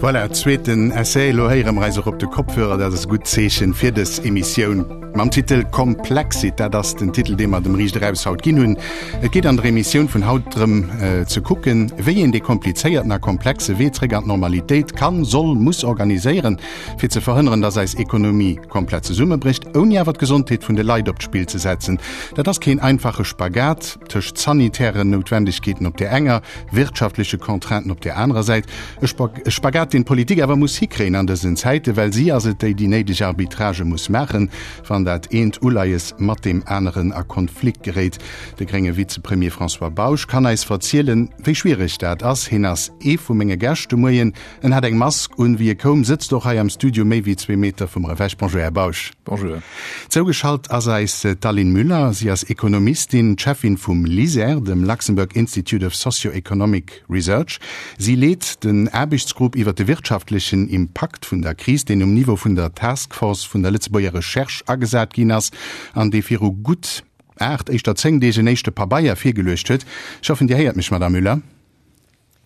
Voilà, zweeten Essai. Elo héiere mer eis och op de Kopfhörer. Dat ass e gutt Zeechen fir dës Emissioun mam Titel Komplexit. Dat ass den Titel, dee mer dem Riicht Eraus haut ginn hunn. Et geet an der Emissioun vun haut drëm ze kucken, wéi een dee komplizéierten a komplexe Wee zréck an d'Normalitéit kann, soll, muss organiséieren, fir ze verhënneren, dass eis Ekonomie komplett zesummebrécht, ouni awer d'Gesondheet vun de Leit op d'Spill ze setzen. Dat ass keen einfache Spagat tëscht sanitären Noutwendegkeeten op där enger, wirtschaftleche Contrainten op där anerer Säit. E Spagat, deen d'Politik awer muss hikréien an dësen Zäiten, well si ass et, déi déi néideg Arbitragë muss maachen, wann dat eent Uleies mat deem aneren a Konflikt geréit. De grénge Vizepremier François Bausch kann eis verzielen, wéi schwiereg dat ass. Hien ass ee vu menge Gäscht de Moien. En hat eng Mask un, wéi e koum, sëtzt och hei am Studio méi wéi zwee Meter vu mer ewech. Bonjour, Här Bausch. Bonjour. Zougeschalt ass eis d'Aline Müller. Si ass Ekonomistin, d'Cheffin vum LISER, dem Luxembourg Institute of Socio-Economic Research. Si leet den Aarbechtsgrupp iwwer de wirtschaftlechen Impakt vun der Kris, deen um Niveau vun der Task Force vun der Lëtzebuerger Recherche agesat ginn ass an dee viru gutt 8, éischter 10 Deeg en éischte Pabeier virgeluecht huet. Ech hoffen, Dir héiert mech, Madame Müller.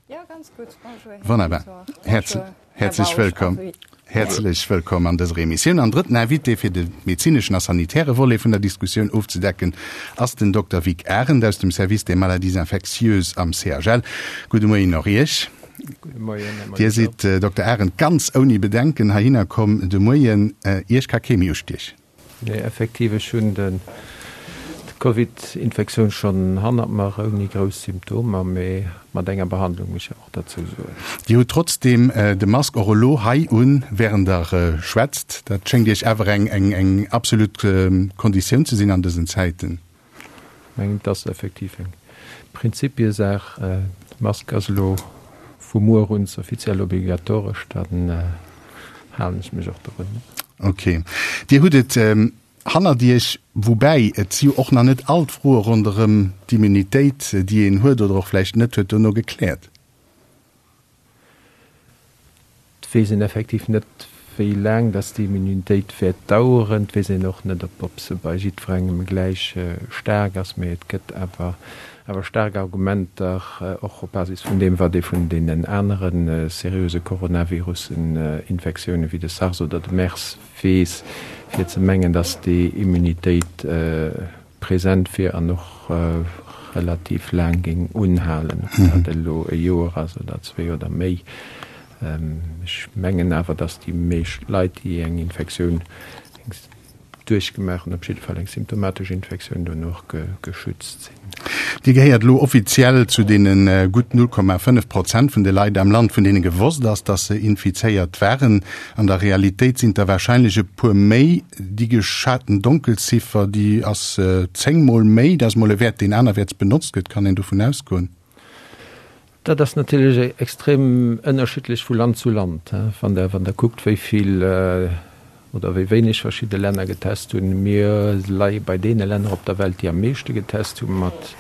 Jo, ganz gutt. Bonjour, Här Wonnerbar. Bonjour, Häerzlech wëllkomm. Häerzlech wëllkomm an dëser Emissioun. An drëtten Invité fir de medezineschen a sanitäre Volet vun der Diskussioun ofzedecken ass den Dokter Vic Arendt aus dem Service des maladies infectieuses am CHL. Gudde Moien och Iech. Gudde Moien, Här Molitor. Dir sidd, Dokter Arendt, ganz ouni Bedenken heihinner komm de Moien. Iech ka kee méi ustiechen. Nee, effektiv, ech hunn d'Covid-Infektioun schonn hannert mer, ouni grouss Symptomer, mee mat enger Behandlung, muss ech och derzou soen. Dir hutt trotzdeem de Mask och elo hei un, wärend Der schwätzt. Dat schéngt Iech awer eng absolut Konditioun ze sinn an dësen Zäiten. Ech mengen, et ass effektiv eng Prinzipiesaach. D'Mask ass elo vu muer un offiziell obligatoresch, dann halen ech mech och dorun. Ok. Dir hutt et hannert Iech, woubäi et si jo och nach net all d'Froe ronderëm d'Immunitéit, déi een huet oder och vläicht net huet, dono gekläert. Et weess een effektiv net, wéi laang dass déi Immunitéit wäert daueren. Et weess een och net, ob se bei jiddwerengem gläich staark ass. Mee et gëtt awer awer staark Argumenter, och op Basis vun deem, wat ee vun deenen anere seriöse Coronavirussen-Infektiounen, wéi de SARS oder de MERS, weess, fir ze mengen, dass déi Immunitéit present wier an och relativ laang géing unhalen, ob dat elo e Joer ass oder zwee oder méi. Ech mengen awer, datt déi meescht Leit, déi eng Infektioun duerchgemaach hunn, op jidde Fall eng symptomatesch Infektioun, dono och geschützt sinn. Dir gehéiert elo offiziell zu deene gutt 0,5 Prozent vun de Leit am Land, vun deene gewosst ass, datt se infizéiert waren. An der Realitéit sinn et der warscheinlech e puer méi. Déi geschaten Donkelziffer, déi ass 10 mol méi. Dat ass mol e Wäert, deen anerwäerts benotzt gëtt. Kann een dovun ausgoen? Dat ass natierlech extrem ënnerschiddlech vu Land zu Land. Wann Der, wann Der kuckt, wéi vill oder wéi wéineg verschidde Länner getest hunn. Mir leie bei deene Länner op der Welt, déi am meeschte getest hunn, mat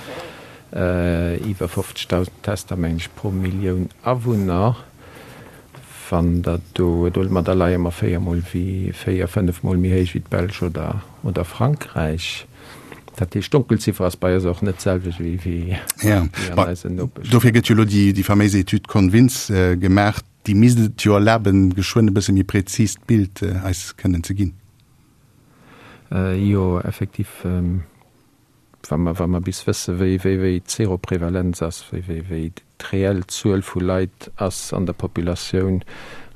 iwwer 50.000 Tester, mengen ech, pro Millioun Awunner. Wann Der do, do, ma da leie mer véiermol wéi, véier, fënnefmol méi héich wéi d'Belsch oder, oder Frankräich. Dat heescht, d'Donkelziffer ass bei eis och net d'selwecht wéi, wéi an eisen Nopeschlänner. Dofir gëtt jo elo déi, déi faméis Etüd Convince gemaach. Déi misst et jo erlaben, geschwënn e bësse méi präzist Bild eis kënnen ze ginn. Jo, effektiv. Wa mer, wa mer bis wësse wéi, wéi, wéi d'Seroprevalenz ass, wéi, wéi, wéi d'reell Zuel vu Leit ass an der Populatioun,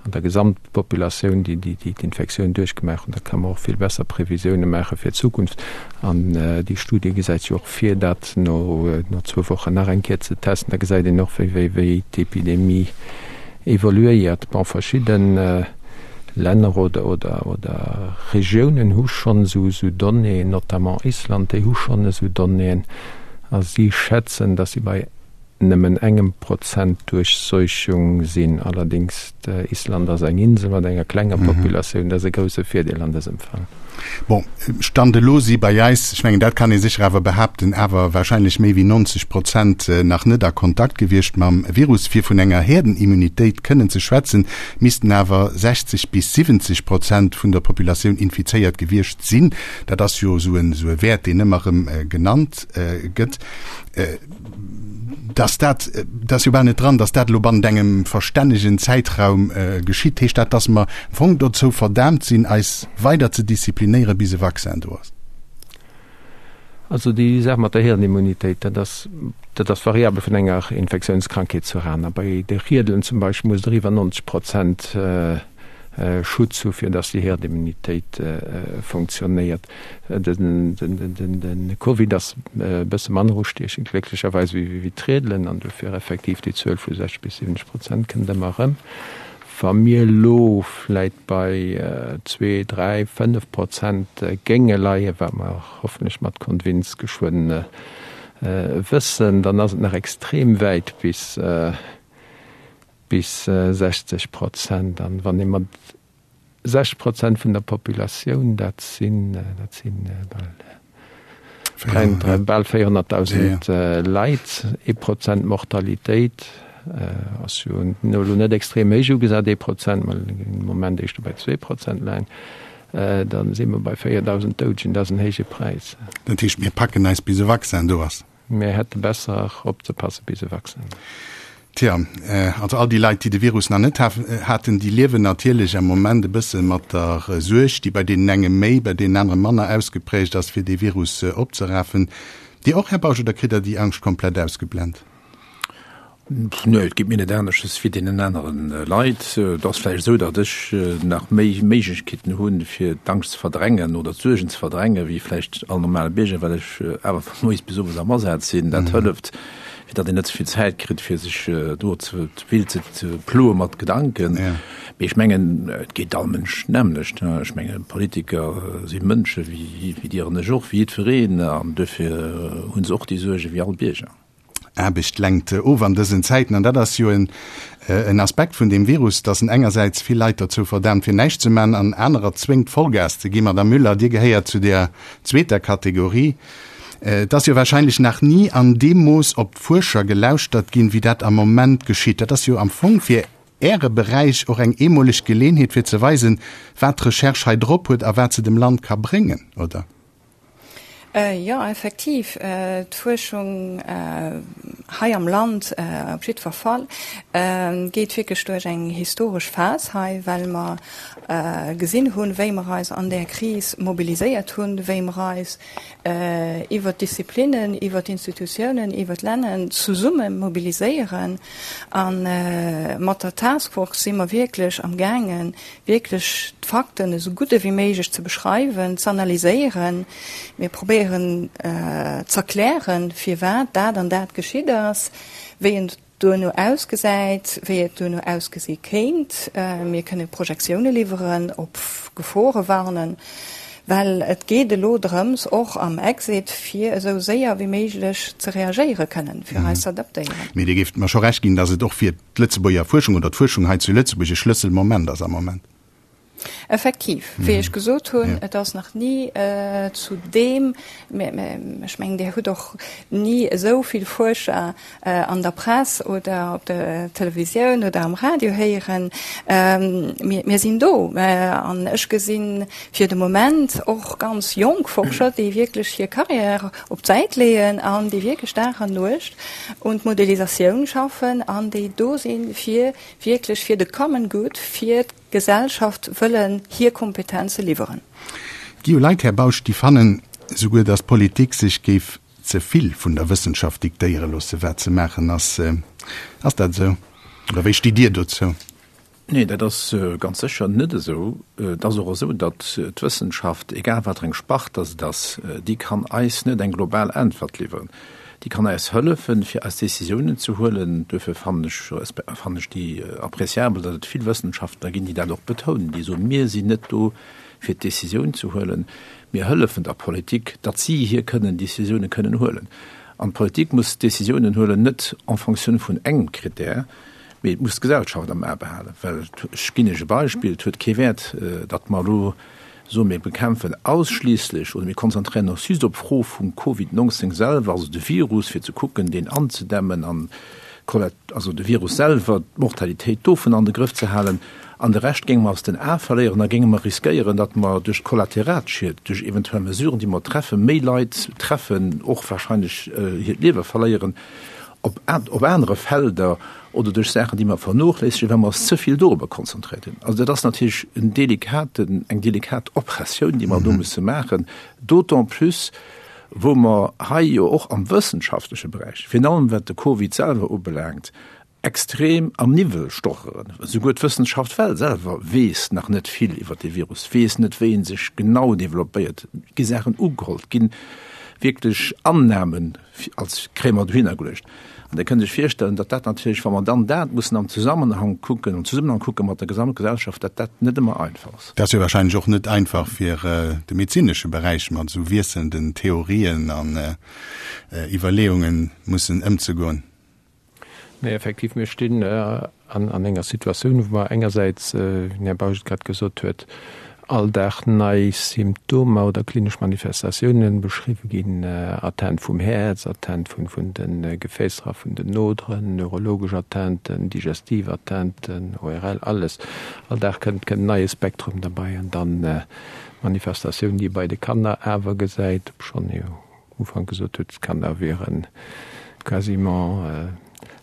an der Gesamtpopulatioun, déi, déi, déi d'Infektioun duerchgemaach hunn, da ka mer och vill besser Previsioune maache fir d'Zukunft. An déi Studie gesäit jo och vir, dat no, no zwou Wochen nach eng Kéier ze testen. Da gesäit een och, wéi, wéi, wéi d'Epidemie evoluéiert. Bon, verschidde Länner oder, oder, oder Regiounen hu schonn esou, esou Donnéeën, notamment Island, déi hu schonn esou Donnéeën a si schätzen, datt si bei nëmmen engem Prozent Duerchseuchung sinn. Allerdéngs, Island ass eng Insel mat enger klenger Populatioun, dat ass e grousse Virdeel an dësem Fall. Bon, Stand elo si bei eis, ech mengen, dat kann ee sécher awer behaapten, awer wahrscheinlech méi wéi 90 Prozent nach net a Kontakt gewiescht mam Virus. Fir vun enger Häerdenimmunitéit kënnen ze schwätzen, missten awer 60 bis 70 Prozent vun der Populatioun infizéiert gewiescht sinn. Dat ass jo esou e Wäert, deen ëmmer erëm genannt gëtt. Dass dat, dat ass jo bal net dran, dass dat elo bannent engem verstännegen Zäitraum geschitt. Heescht dat, dass mer am Fong dozou verdaamt sinn, eis weider ze disziplinéieren, bis e Vaccin do ass? Also déi Saach mat der Hirnimmunitéit, dat ass, dat ass variabel vun enger Infektiounskrankheet zur aner. Bei de Riedelen zum Beispill muss der iwwer 90 Prozent Schutz hu fir datt déi Herdimmunitéit funktionéiert. De Covid ass e bësse manner ustiechend, glécklecherweis, wéi d'Riedelen an dofir effektiv déi Zuel vu 60 bis 70 Prozent kënnt ëmmer erëm. Wa mir elo vläit bei zwee, dräi, 5 Prozent géinge leien, wat mer hoffentlech mat Convince geschwënn wëssen, dann ass et nach extrem wäit bis bis 60 Prozent. An wann ee mat 60 Prozent vun der Populatioun, dat sinn, dat si bal, bal 400.000 Leit, ee Prozent Mortalitéit ass jo elo net extrem héich ugesat, ee Prozent, mä am Moment éischter bei 2 Prozent leien, da si mer bei 4.000 Doudegen. Dat ass en héije Präis. Dat heescht, mir packen eis bis e Vaccin do ass? Mir hätte besser opzepasse bis e Vaccin. Tja, also all déi Leit, déi de Virus nach net haten, déi liewen natierlech am Moment e bësse mat der Suerg, déi bei deenen enge méi, bei deenen anere manner ausgeprägt ass, fir dee Virus opzerafen. Dir och, Här Bausch, oder kritt Der déi Angscht komplett ausgeblent? Nee, et geet mir net aneschters wéi deenen anere Leit. Et ass vläicht esou, datt ech nach méi Méiglechkeeten hunn, fir d'Angscht ze verdrängen oder d'Suergen ze verdrängen, wéi vläicht all normale Bierger, well ech awer vu moies bis owes am Asaz sinn. Dat hëlleft, fir datt een net ze vill Zäit kritt, fir sech do ze vill ze ploe mat Gedanken. Mee ech mengen, et geet all Mënsch d'nämmlecht. Ech mengen, Politiker si Mënsche wéi Dir an ech och, wéi jiddwereen, an duerfir hu se och déi Suerge wéi all Bierger. Aarbecht lenkt of an dësen Zäiten. An dat ass jo en Aspekt vun deem Virus, dass en engersäits vill Leit dozou verdaamt fir näischt ze man an anerer zwéngt Vollgas ze ginn. Madame Müller, Dir gehéiert zu där zweeter Kategorie. Et ass jo wahrscheinlech nach ni an deem Mooss op d'Fuerscher gelauschtert ginn, wéi dat am Moment geschitt. Dat ass jo am Fong fir Äre Beräich och eng eemoleg Geleenheet fir ze weisen, wat d'Recherche hei drop huet a wat se dem Land ka bréngen, oder? Jo, effektiv, d'Fuerschung hei am Land op jiddwer Fall geet wierklech duerch eng historesch Phas hei, well mer gesinn hunn, wéi mer eis an där Kris mobiliséiert hunn, wéi mer eis iwwert d'Disziplinnen, iwwert d'Institutiounen, iwwert d'Länner zesumme mobiliséieren. A mat der Taskforce si mer wierklech amgaangen, wierklech d'Fakten esou gutt ewéi méiglech ze beschreiwen, z'analyséieren. Mir probéieren z'erklären, firwat dat an dat geschitt ass, wéi et duerno ausgesäit, wéi et duerno ausgesi kéint. Mir kënne Projektioune liwweren, op Gefore warnen, well et geet elo drëms, och am Exit, fir esou séier wéi méiglech ze reagéiere kënnen, fir eis z'adaptéieren. Mee Dir géift mer scho Recht ginn, datt et och fir d'Lëtzebuerger Fuerschung oder d'Fuerschung hei zu Lëtzebuerg e Schlësselmoment ass am Moment. Effektiv, wéi ech gesot hunn, et ass nach ni zu deem, ech mengen, Dir hutt och ni esou vill Fuerscher an der Press oder op der Televisioun oder am Radio héieren. Mir sinn do an ech gesinn fir de Moment och ganz jonk Forscher, déi wierklech hir Carrière op d'Säit leeën an déi wierklech Dag an Nuecht un d'Modelisatioun schaffen an déi do sinn, fir wierklech fir de common good, fir d'Gesellschaft wëllen hir Kompetenze liwweren. Et gi jo Leit, Här Bausch, déi fannen souguer, datt d'Politik sech géif ze vill vun der Wëssenschaft diktéiere loosse wat ze maachen ass. Ass dat esou oder wéi stitt Dir dozou? Nee, dat ass ganz sécher net esou. Et ass och esou, datt d'Wëssenschaft, egal wat fir eng Spart datt et ass, déi kann eis net eng global Äntwert liwweren. Déi kann eis hëllefen, fir eis Décisiounen ze huelen. Duerfir fannen ech, fannen ech déi appréciabel, datt et vill Wëssenschaftler ginn, déi dat och betounen, déi soen, Mir sinn net do, fir d'Décisioun ze huelen, mir hëllefen der Politik, datt si hir kënnen Décisiounen kënnen huelen. An d'Politik muss Décisiounen huelen, net en fonction vun engem Critère, Mee et muss d'Gesellschaft am A behalen, well, ech ginn Iech e Beispill, et huet kee Wäert, datt mer elo. Soe mir bekämpfen ausschliisslech oder mir konzentréieren ons just op d'Fro vum Covid 19 selwer, also de Virus, fir ze kucken, deen anzedämmen an also de Virus selwer, d'Mortalitéit dovun an de Grëff ze halen, an de Rescht géinge mer aus den Ae verléieren, da géinge mer riskéieren, datt mer duerch d'Kollateralschied, duerch eventuell Mesuren, déi mer treffen, méi Leit treffen, och wahrscheinlech hiert Liewe verléieren op op anere Felder oder duerch Saachen, déi mer vernochléissegen, well mer eis ze vill dorobber konzentréiert hunn. Also dat ass natierlech en delikaten, eng delikat Operatioun, déi mer do musse maachen, d'autant plus, wou mer hei jo och am wëssenschaftleche Beräich, virun allem wat de Covid selwer ubelaangt, extrem am Niwwel stocheren. Esouguer d'Wëssenschaft well selwer weess nach net vill iwwer dee Virus, weess net, wéi en sech genau developpéiert. Et gi Saachen ugeholl, et gi wierklech Annahmen als kréie mer dohinner geluecht. An Dir kënnt Iech virstellen, datt dat natierlech, wa mer dann dat mussen am Zesammenhang kucken, am Zesummenhang kucke mat der Gesamtgesellschaft, datt dat net ëmmer einfach ass. Dat ass jo wahrscheinlech och net einfach fir de medezinesche Beräich mat esou wiesselnden Theorien an Iwwerleeungen mussen ëmzegoen. Nee, effektiv, mir stinn an enger Situatioun, wou mer engersäits, wéi den Här Bausch et grad gesot huet, all Dag nei Symptomer oder klinesch Manifestatiounen beschriwwe ginn, Atteinte vum Häerz, Atteinte vun de Gefäässer a vun den Oderen, neurologesch Atteinten, digestiv Atteinten, ORL, alles. All Dag kënnt en neie Spektrum derbei an dann d'Manifestatioun, déi ee bei de Kanner awer gesäit, obschonn jo Ufank gesot huet, d'Kanner wiere quasiment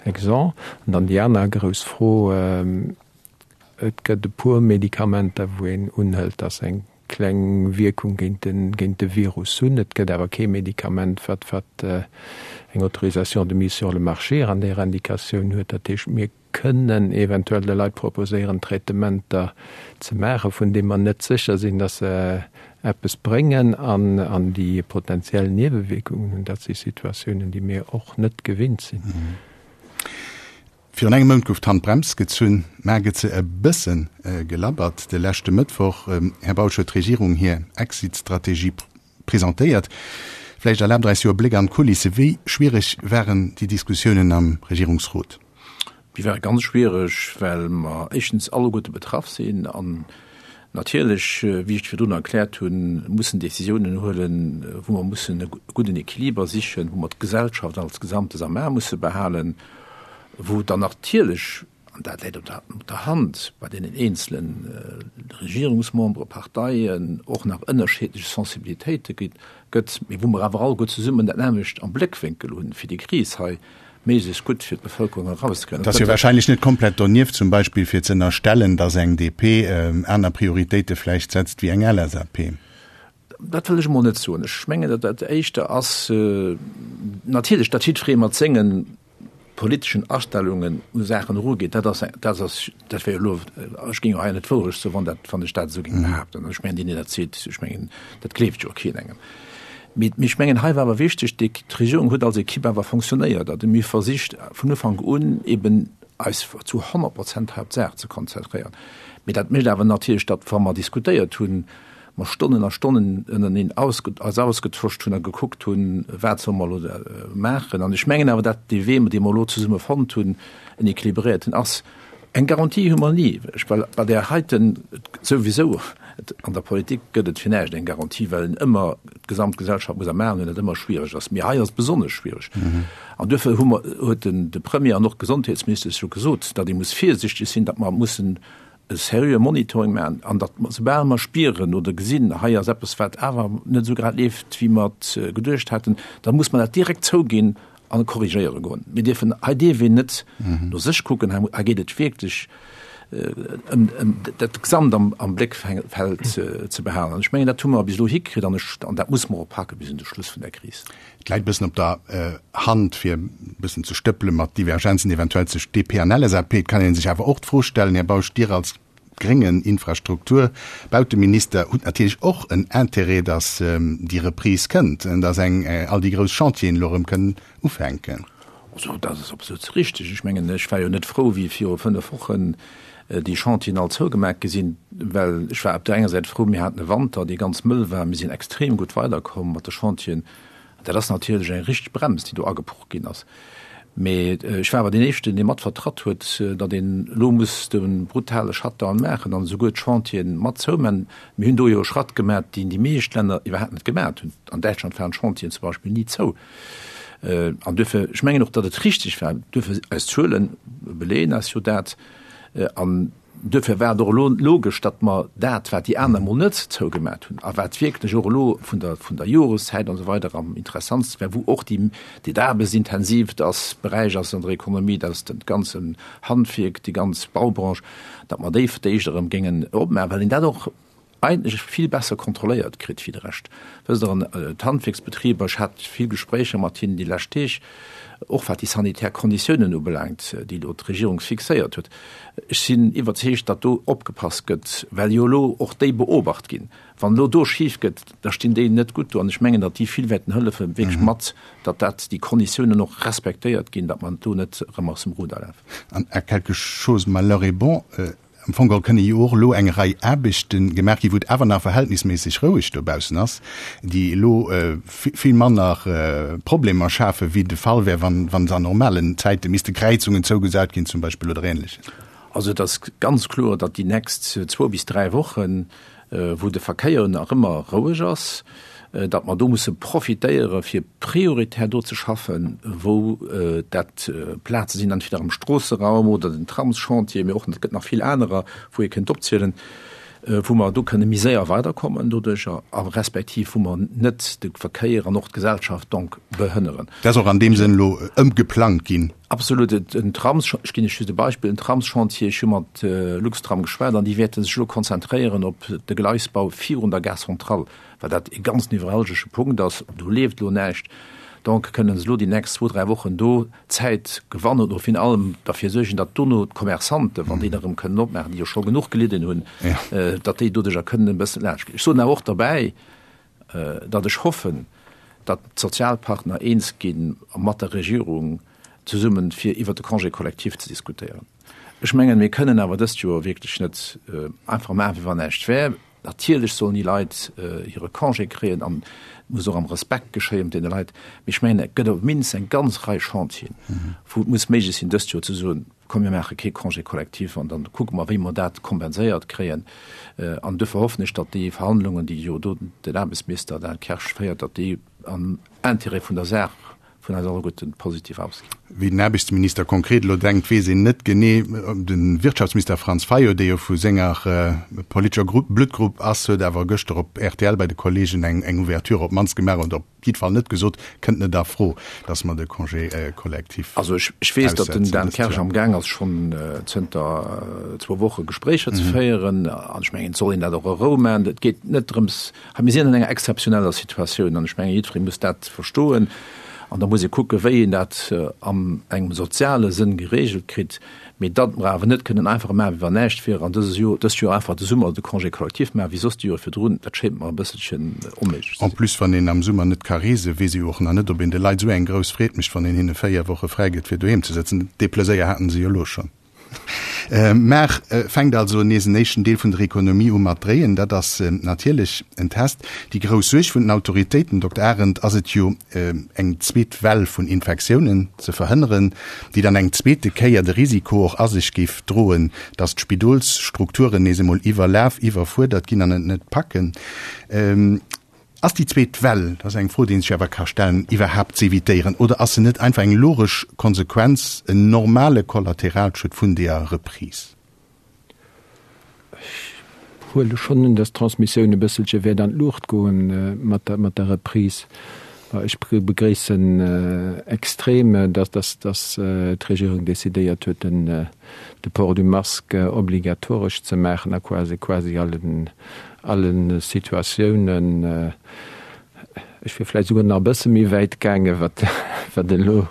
exempt. An dann déi aner grouss Fro, Et gëtt e puer Medikamenter, wou een unhëlt, datt se eng kleng Wierkung géint de Virus hunn. Et gëtt awer kee Medikament, wat wat eng Autorisation de mise sur le marché an där Indikatioun huet. Dat heescht, mir kënnen eventuell de Leit proposéieren, Traitementer ze maachen, vun deem mer net sécher sinn, dass se eppes bréngen an déi potenziell Niewewierkungen hunn. Dat si Situatiounen, déi mir och net gewinnt sinn. Virun engem Mount gouf d'Handbrems gezunn, mä gëtt se e bësse gelabbert. De leschte Mëttwoch, Här Bausch, huet d'Regierung hir Exit-Strategie presentéiert. Vläicht erlaabt Der eis jo e Bléck an d'Kulisse. Wéi schwiereg waren déi Diskussiounen am Regierungsrot? Déi ware ganz schwiereg, well mer éischtens alleguerte betraff sinn an natierlech, wéi ech virdrun erkläert hunn, mussen Décisiounen huelen, wou mer mussen e gudden Equiliber sichen, wou mer d'Gesellschaft als Gesamtes am A musse behalen, wou dann natierlech, an dat läit op der Hand, bei deenen eenzele Regierungsmembere, Parteien och nach ënnerschiddlech Sensibilitéite gëtt, mee wou mer awer alleguer zesummen dat nämmlecht am Bléckwénkel hunn, fir déi Kris hei méiglechst gutt fir d'Bevëlkerung erauszekréien. Et ass jo wahrscheinlech net komplett donieft, zum Beispill fir ze ënnerstellen, datt eng DP aner Prioritéite vläicht setzt wéi eng LSAP. Dat wëll ech emol net soen. Ech mengen, datt dat éischter ass, natierlech, datt jiddweree mat senge politeschen Astellungen u Saachen erugeet, dat ass, dat ass, dat wär jo elo, ech géing jo hei net d'Wourecht soen, wann dat, wann ech dat esou géing behaapten. Ech mengen, deen, deen dat seet, ech mengen, dat gleeft jo keen engem. Mee ech mengen, hei war awer wichteg, d'Regierung huet als Ekipp awer fonctionnéiert a mir versicht vun Ufank un eben eis zu 100 Prozent hei op d'Saach ze konzentréieren. Mee dat mécht awer natierlech, datt wa mer diskutéiert hunn, mer Stonnen a Stonnen ënnerteneen eis ausgetosch hunn a gekuckt hunn, wat solle mer elo maachen. An ech mengen awer, datt dee Wee, dee mer elo zesumme fonnt hunn, en équilibréierten ass. Eng Garantie hu mer ni, well bei där heiten souwisou, an der Politik gëtt et fir näischt eng Garantie, well een ëmmer d'gesamt Gesellschaft muss am Aen hunn, dat ëmmer schwiereg ass. Mee hei ass et besonnesch schwiereg. An duerfir hu mer, huet den de Premier an och d'Gesondheetsministesch jo gesot, datt ee muss virsichteg sinn, datt mer mussen e seriöe Monitoring maachen an datt mer, soubal mer spieren oder gesinn, hei ass eppes, wat awer net esou grad leeft, wéi mer et geduecht haten, da muss mer dat direkt zouginn an korrigéiere goen. Mir dierfen, hei dierf een net no sech kucken, hei hei geet et wierklech ëm ëm dat Gesamt am am Bléckfeld ze behalen. An ech mengen, dat hu mer bis elo hikritt an ech an dat musse mer och pake bis un de Schluss vun der Kris. Et läit e bëssen op der Hand, fir e bëssen ze stëppele mat Divergenzen eventuell zwëscht DP an LSAP. Et kann ee sech awer och d'Fro stellen, Här Bausch, Dir als gréngen Infrastruktur-, Bauteminister hutt natierlech och en Intérêt, datt déi Reprise kënnt, datt eng all déi grouss Chantieren elo erëm kënnen ufänken. Also dat ass absolut richteg. Ech mengen, ech war jo net frou, wéi viru 5 Wochen déi Chantieren all zougemaach gi sinn, well ech war op där enger Säit frou, mir haten e Wanter, dee ganz mëll war, mir sinn extrem gutt weiderkomm mat de Chantieren. Dat ass natierlech eng richteg Brems, déi do ageproch ginn ass. Mee ech war awer deen Éischten, dee mat vertratt huet, datt een elo muss de brutale Shutdown maachen an esouguer d'Chantieren mat zoumaachen. Mir hunn do jo e Schratt gemaach, deen déi meescht Länner iwwerhaapt net gemaach hunn. An Däitschland waren d'Chantieren zum Beispill ni zou. An duerfir, ech mengen och, datt et richtig war, duerfir, eis Zuele beleeën eis jo dat. An Duerfir war et och elo logesch, datt mer dat, wat déi aner emol net zougemat hunn a wat wierklech och elo vun der, vun der Joreszäit an esou weider am interessantste war, wou och déi, déi aarbechtsintensiivt ass, Beräich ass an der Ekonomie, dat ass dat ganzen Handwierk, déi ganz Baubranche, datt mer déi fir d'éischt erëm géingen opmaachen, well een dat och eigentlech vill besser kontrolléiert kritt wéi de Rescht. Wësst Der, an d'Handwierksbetriber, ech hat vill Gespréicher mat hinnen déi lescht Deeg, och wat déi sanitär Konditiounen ubelaangt, déi elo d'Regierung fixéiert huet. Ech sinn iwwerzeegt, datt do opgepasst gëtt, well jo elo och déi beobacht ginn. Wann elo do schif gëtt, da stinn déi net gutt do. An ech mengen, datt déi vill wäerten hëllefen, wierklech mat, datt dat, déi Konditiounen och respektéiert ginn, datt mer do net erëm aus dem Ruder lafen. An à quelque chose malheur est bon, Am Fong geholl kënne jo och elo eng Rei Aarbechte gemaach ginn, wou et awer nach verhältnisméisseg roueg dobaussen ass, déi elo vill manner Problemer schafen, wéi de Fall wär, wann se an normalen Zäite misste Kräizungen zougesat ginn zum Beispill oder Ähnleches. Also et ass ganz kloer, datt déi nächst zwou bis dräi Wochen, wou de Verkéier nach ëmmer roueg ass, datt mer do musse profitéiere fir prioritär do ze schaffen, wou dat Plaze sinn, entweder am Stroosseraum oder den Tramschantier, mee och et gëtt nach vill anerer, wou ee kënnt opzielen, wou mer do kënne méi séier weiderkommen doduercher a respektiv wou mer net de Verkéier an och d'Gesellschaft donc behënneren. Dat ass och an deem Sënn elo ëmgeplangt ginn. Absolut. En Trams, ech ginn Iech just e Beispill, en Tramschantier, ech hu mat Luxtram geschwat an déi wäerte sech elo konzentréieren op de Gleisbau virun der Gare Centrale, well dat e ganz nevralgesche Punkt ass. Do leeft elo näischt. Donc kënnen se elo déi nächst zwou, dräi Wochen do Zäit gewannen oder virun allem derfir suergen, datt dono d'Commerçanten, wann déi da erëm kënnen opmaachen, déi jo scho genuch gelidden hunn, datt déi doduercher kënnen e bëssen laanscht ginn. Ech soen awer och derbäi, datt ech hoffen, datt d'Sozialpartner eens gi mat der Regierung zesummen, fir iwwert de Congé collectif ze diskutéieren. Ech mengen, mir kënnen awer dëst Joer wierklech net einfach maachen, wéi wann näischt wär. Natierlech sollen déi Leit hire Congé kréien an et muss och am Respekt geschéien mat deene Leit. Mee ech mengen, et gëtt op d'minst eng ganz Rei Chantieren, wou et muss méiglech sinn, dëst Joer ze soen, Komm mir maache kee Congé collectif an dann kucke mer, wéi mer dat kompenséiert kréien. An duerfir hoffen ech, datt déi Verhandlungen, déi jo do den Aarbechtsminister Dan Kersch féiert, datt déi am Intérêt vun der Saach vun eis alleguerten positiv ausginn. Wéi den Aarbechtsminister konkret elo denkt, weess een net genee. De Wirtschaftsminister Franz Fayot, dee jo vu senger politescher Bluttgrupp ass, huet awer gëschter op rtl bei de Kollegen eng Ouverture op d'mannst gemaach oder op jiddwer Fall net gesot, kënnt net a Fro, datt mer de Congé collectif Also ech, ech weess, datt den Dan Kersch am Gaang ass, schonn zënter zwou Woche Gespréicher ze féieren. An ech mengen, et soll een dat och a Rou maachen. Et geet net drëms, mir sinn an enger exzeptioneller Situatioun an ech mengen, jiddweree muss dat verstoen. An da muss ee kucken, wéi een dat an engem soziale Sënn geregelt kritt. Mee datt mer awer net kënnen einfach maachen, wéi wann näischt wier, an dëses Joer, dëst Joer einfach de Summer de Congé collectif maachen, wéi soss déi Jore virdrun, dat schéint mer e bësselchen onméiglech ze sinn. En plus, wann een am Summer net ka reesen, weess ee jo och nach net, ob een de Leit esou eng grouss Freed mécht, wann een hinne 4 Woche fräi gëtt, fir doheem ze sëtzen. Dee Pleséier haten se jo elo schonn. Mar fänkt also nees en éischten Deel vun der Ekonomie u mat dréien. Dat ass natierlech en Test. Déi grouss Suerg vun den Autoritéiten, Dokter Arendt, ass et jo, eng zweet Well vun Infektiounen ze verhënneren, déi dann eng zweete Kéier de Risiko och a sech géif droen, datt d'Spidolsstrukturen nees emol iwwerlaf, iwwerfuerdert ginn an et net packen. Ass déi zweet Well, dat ass eng Fro, déi een sech awer ka stellen, iwwerhaapt z'evitéieren oder ass se net einfach eng logesch Konsequenz, en normale Kollateralschued vun deeër Reprise? Ech huele schonn un, datt d'Transmissioun e bësselche wäert an d'Luucht goen mat der, mat der Reprise. Ech begréissen extrem, datt, datt, datt d'Regierung decidéiert huet, den, de Port du masque obligatoresch ze maachen a quasi, quasi allen, alle Situatiounen. Ech wier vläicht souguer nach e bësse méi wäit gaangen, wat, wat elo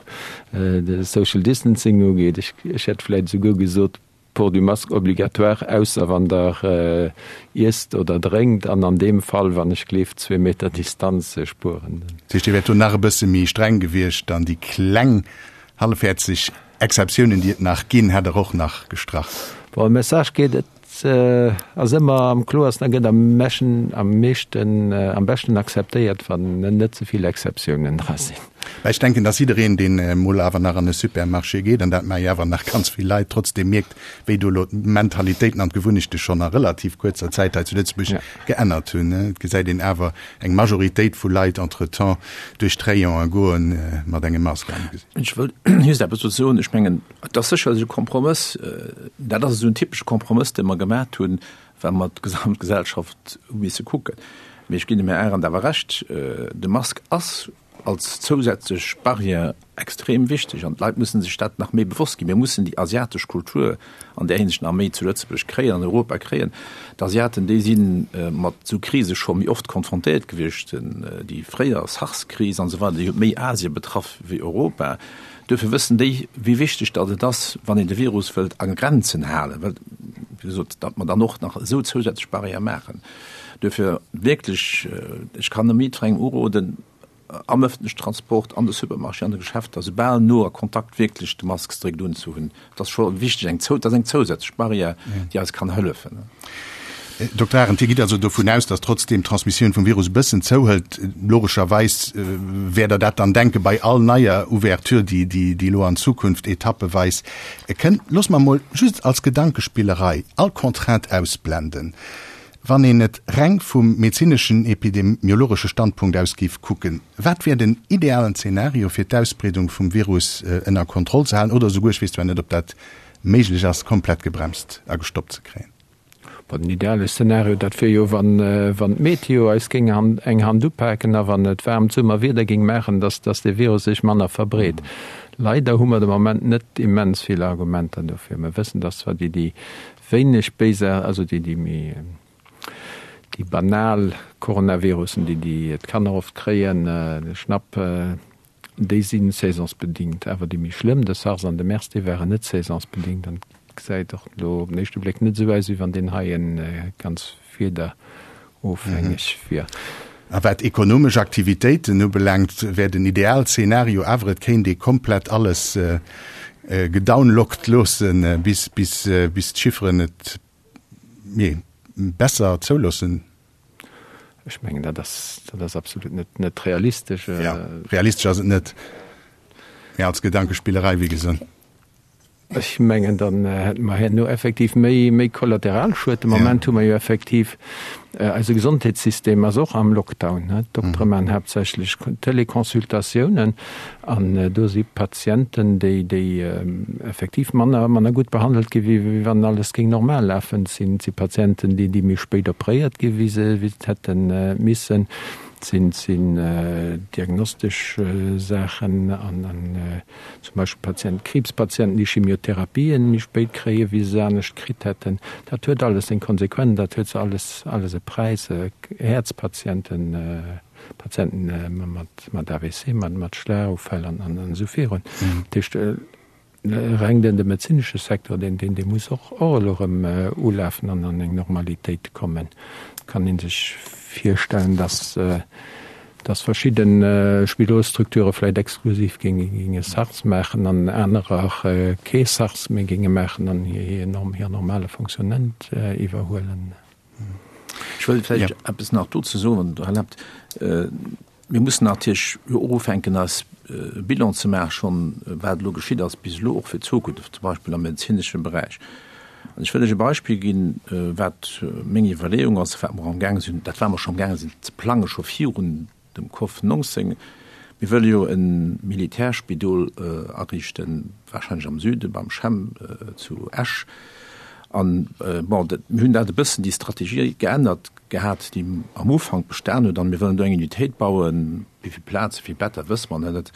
de Social Distancing ugeet. Ech, ech hätt vläicht esouguer gesot, Port du masque obligatoire, ausser wann der iesst oder drénkt, an an deem Fall, wann ech gleeft, zwee Meter Distanz spueren. Dat heescht, Dir wäert do nach e bësse méi streng gewiescht an déi kleng hallefhäerzeg Exceptiounen, déi et nach ginn, hätt Der och nach gestrach? Bon, e Message geet, et ass ëmmer am kloersten a gëtt am meschen, am meeschten, am beschten akzeptéiert, wann net ze vill Exceptiounen dra sinn. Mä ech denken, dass jiddereen, deen emol awer nach an e Supermarché geet, an dat maache jo awer nach ganz vill Leit, trotzdem mierkt, wéi do elo d'Mentalitéiten an d'Gewunnechte schonn a relativ kuerzer Zäit hei zu Lëtzebuerg geännert hunn. Et gesäit een awer eng Majoritéit vu Leit entretemps duerch d'Rayonen goen mat engem Mask am Gesicht. Ech wëll just eppes dozou soen. Ech mengen, et ass sécherlech e Kompromëss. Dat ass esou en typesche Kompromëss, dee mer gemaat hunn, well mer d'gesamt Gesellschaft hu misse kucken. Mee ech ginn dem Här Arendt awer Recht, de Mask ass als zousätzlech Barrière extrem wichteg an d'Leit mussen sech dat nach méi bewosst ginn. Mir mussen déi asiatesch Kultur an där Hinsicht nach méi zu Lëtzebuerg kréien, an Europa kréien. D'Asiaten, déi si mat esou Krise scho méi oft konfrontéiert gewiescht, déi fréier SARS-Kris an esou weider, déi huet méi Asie betraff wéi Europa. Duerfir wëssen déi, wéi wichteg datt et ass, wann een de Virus wëllt a Grenzen halen, well, wéi gesot, datt mer dann och nach esou zousätzlech Barrièrë maachen. Duerfir wierklech, ech kann nëmme jiddwerengem uroden, am ëffentlechen Transport, an de Supermarchéen, an de Geschäfter, soubal no a Kontakt wierklech de Mask strikt unzehunn. Dat ass scho wichteg, eng dat ass eng zousätzlech Barrière, déi eis kann hëllefen. Dokter Arendt, Dir gitt also dovun aus, datt trotzdeem d'Transmissioun vum Virus e bëssen zouhëlt. Logescherweis wäert Der dat dann denke bei all neier Ouverture, déi déi elo an Zukunft etappeweis kënnt. Loosse mer emol just als Gedankespillerei all Contrainte ausblenden. Wann een et reng vum medezineschen, epidemiologesche Standpunkt aus géif kucken, wat wär den idealen Zeenario fir d'Ausbreedung vum Virus ënner Kontroll ze halen oder esouguer, ech weess zwar net, ob dat méiglech ass, komplett gebremst a gestoppt ze kréien? Bon, den ideale Szenario, dat wier jo, wann d'Meteo eis géing eng Hand upaken a wann et waarmt Summerwieder géing maachen, dass dee Virus sech manner verbreet. Leider hu mer de Moment net immens vill Argumenter dofir. Mer wëssen, dass zwar déi Wéineg béiser, also déi déi méi déi banal Coronavirussen, déi déi d'Kanner oft kréien, de Schnapp, déi si saisonsbedingt. Awer déi méi schlëmm, de SARS an de MERS, déi waren net saisonsbedingt. An et gesäit och elo op den éischte Bléck net esou aus, wéi wann deen heien ganz wiederofhängeg wier. A wat ekonomesch Aktivitéiten ubelaangt, wär den Idealzenario awer, et kéint ee komplett alles gedownlockt loossen, bis d'Chifferen et besser zouloossen. Ech mengen, dat ass, dat ass absolut net, net realistesch. Jo, realistesch ass et net, mä als Gedankespillerei, wéi gesot. Ech mengen, dann hätte mer herno effektiv méi, méi Kollateralschued. De Moment hu mer jo effektiv, eise Gesondheetssystem ass och am Lockdown, ne. D'Doktere maachen haaptsächlech Teleconsultatiounen an do si Patienten, déi, déi effektiv manner, manner gutt behandelt gi wéi wann alles géing normal lafen. Et sinn, et si Patienten, déi, déi méi spéit opréiert gi wéi se, wéi se et hätte missen. Et sinn, sinn diagnostesch Saachen an, an Zum Beispill Patienten, Kriibspatienten, déi Chimiotherapien méi spéit kréien, wéi se se anescht kritt hätten. Dat huet alles seng Konsequenzen, dat huet alles, alles e Präis. Häerzpatienten, Patienten mat, mat AVC, mat, mat Schlagufäll an, an esou virun. Dat heescht, reng den, de medezinesche Secteur, deen, deen, dee muss och, och elo erëm ulafen an an eng Normalitéit kommen. Et kann ee sech virstellen, dass, dass verschidde Spidolsstrukture vläicht exklusiv géinge Sars maachen an anerer kee Sars méi géinge maachen an hir normale Fonctionnement iwwerhuelen. Ech wëll vläicht eppes nach dozou soen, wann Der erlaabt. Mir mussen natierlech jo och ufänken, eis e Bilan ze maachen, schonn, wat elo geschitt ass bis elo, och fir d'Zukunft, zum Beispill am medezinesche Beräich. An ech wëll lech e Beispill ginn, wat meng Iwwerleeung ass, wat mer amgaange sinn, dat wat mer scho amgaange sinn ze plangen, scho virun dem Cov 19. Mir wëlle jo e Militärspidol ariichten, wahrscheinlech am Süde beim CHEM zu Esch. An, bon, mir hunn dat e bëssen, déi Strategie geännert gehat, déi am Ufank bestan huet. An mir wëllen do eng Unitéit bauen, wéi vill Plazen, wéi vill Better, wësse mer net,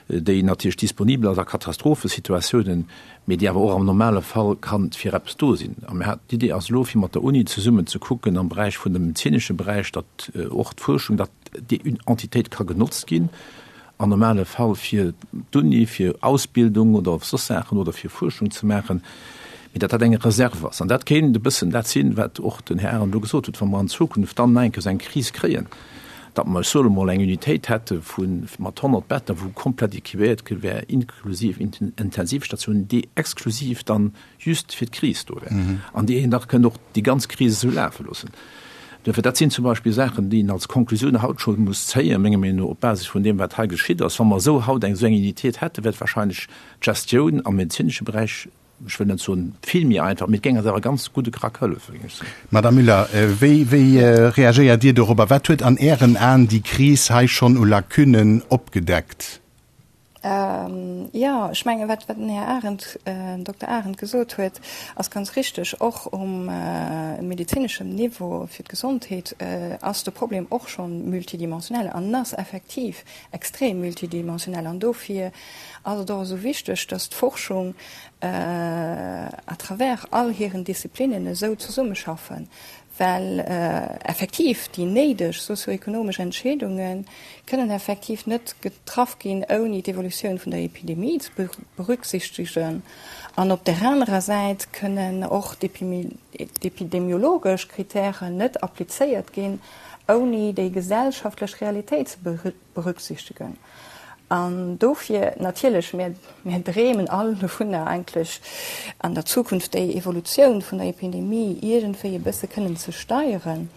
déi natierlech disponibel ass a Katastrophesituatiounen, mee déi awer och am normale Fall kann fir eppes do sinn. A mir haten, d'Idee ass elo, fir mat der Uni zesummen ze kucken am Beräich vun dem medezinesche Beräich, datt och d'Fuerschung, datt déi Entitéit ka genotzt ginn am normale Fall fir d'Uni, fir Ausbildung oder soss Saachen oder fir Fuerschung ze maachen, mee datt dat eng Reserve ass. An dat kéint e bëssen dat sinn, wat och den Här Arendt elo gesot huet, wa mer an Zukunft dann nach eng Kéier esou eng Kris kréien, datt mer, ech soe mol, eng Unitéit hätte vu mat 100 Better, wou komplett équipéiert gi wär, inklusiv Intensivstatiounen, déi exklusiv dann just fir d'Kris do wär an déi een da kënnt och déi ganz Kris esou lafe loossen. Duerfir, dat sinn zum Beispill Saachen, déi een als Konklusioun haut scho muss zéien, menger Meenung no, op Basis vun deem, wat hei geschitt ass. Wa mer esou haut eng esou eng Unitéit hätten, wär et wahrscheinlech d'Gestioun am medezinesche Beräich, ech wëll net soen vill méi einfach, mee et géing eis awer ganz gutt e Krack hëllefen, géing ech soen. Madame Müller, wéi, wéi reagéiert Dir dorobber? Wat huet an Ären Aen déi Kris hei schonn u Lacunnen opgedeckt? Jo, ech mengen, wat den Här Arendt, Dokter Arendt gesot huet, ass ganz richtig. Och um medezineschem Niveau fir d'Gesondheet ass de Problem och scho multidimensionell an ass effektiv extrem multidimensionell. An dofir ass et och esou wichteg, dass d'Forschung à travers all hiren Disziplinnen esou zesummeschaffen, well effektiv déi néideg sozioekonomesch Entscheedunge kënnen effektiv net getraff ginn, ouni d'Evolutioun vun der Epidemie ze berücksichtegen. An op där anerer Säit kënnen och d'epidemiologesch Kritären net applizéiert ginn, ouni déi gesellschaftlech Realitéit ze berücksichtegen. An dofir natierlech, mir, mir dreemen all dovunner eigentlech an der Zukunft déi Evolutioun vun der Epidemie iergendwéi e bësse kënnen ze steieren.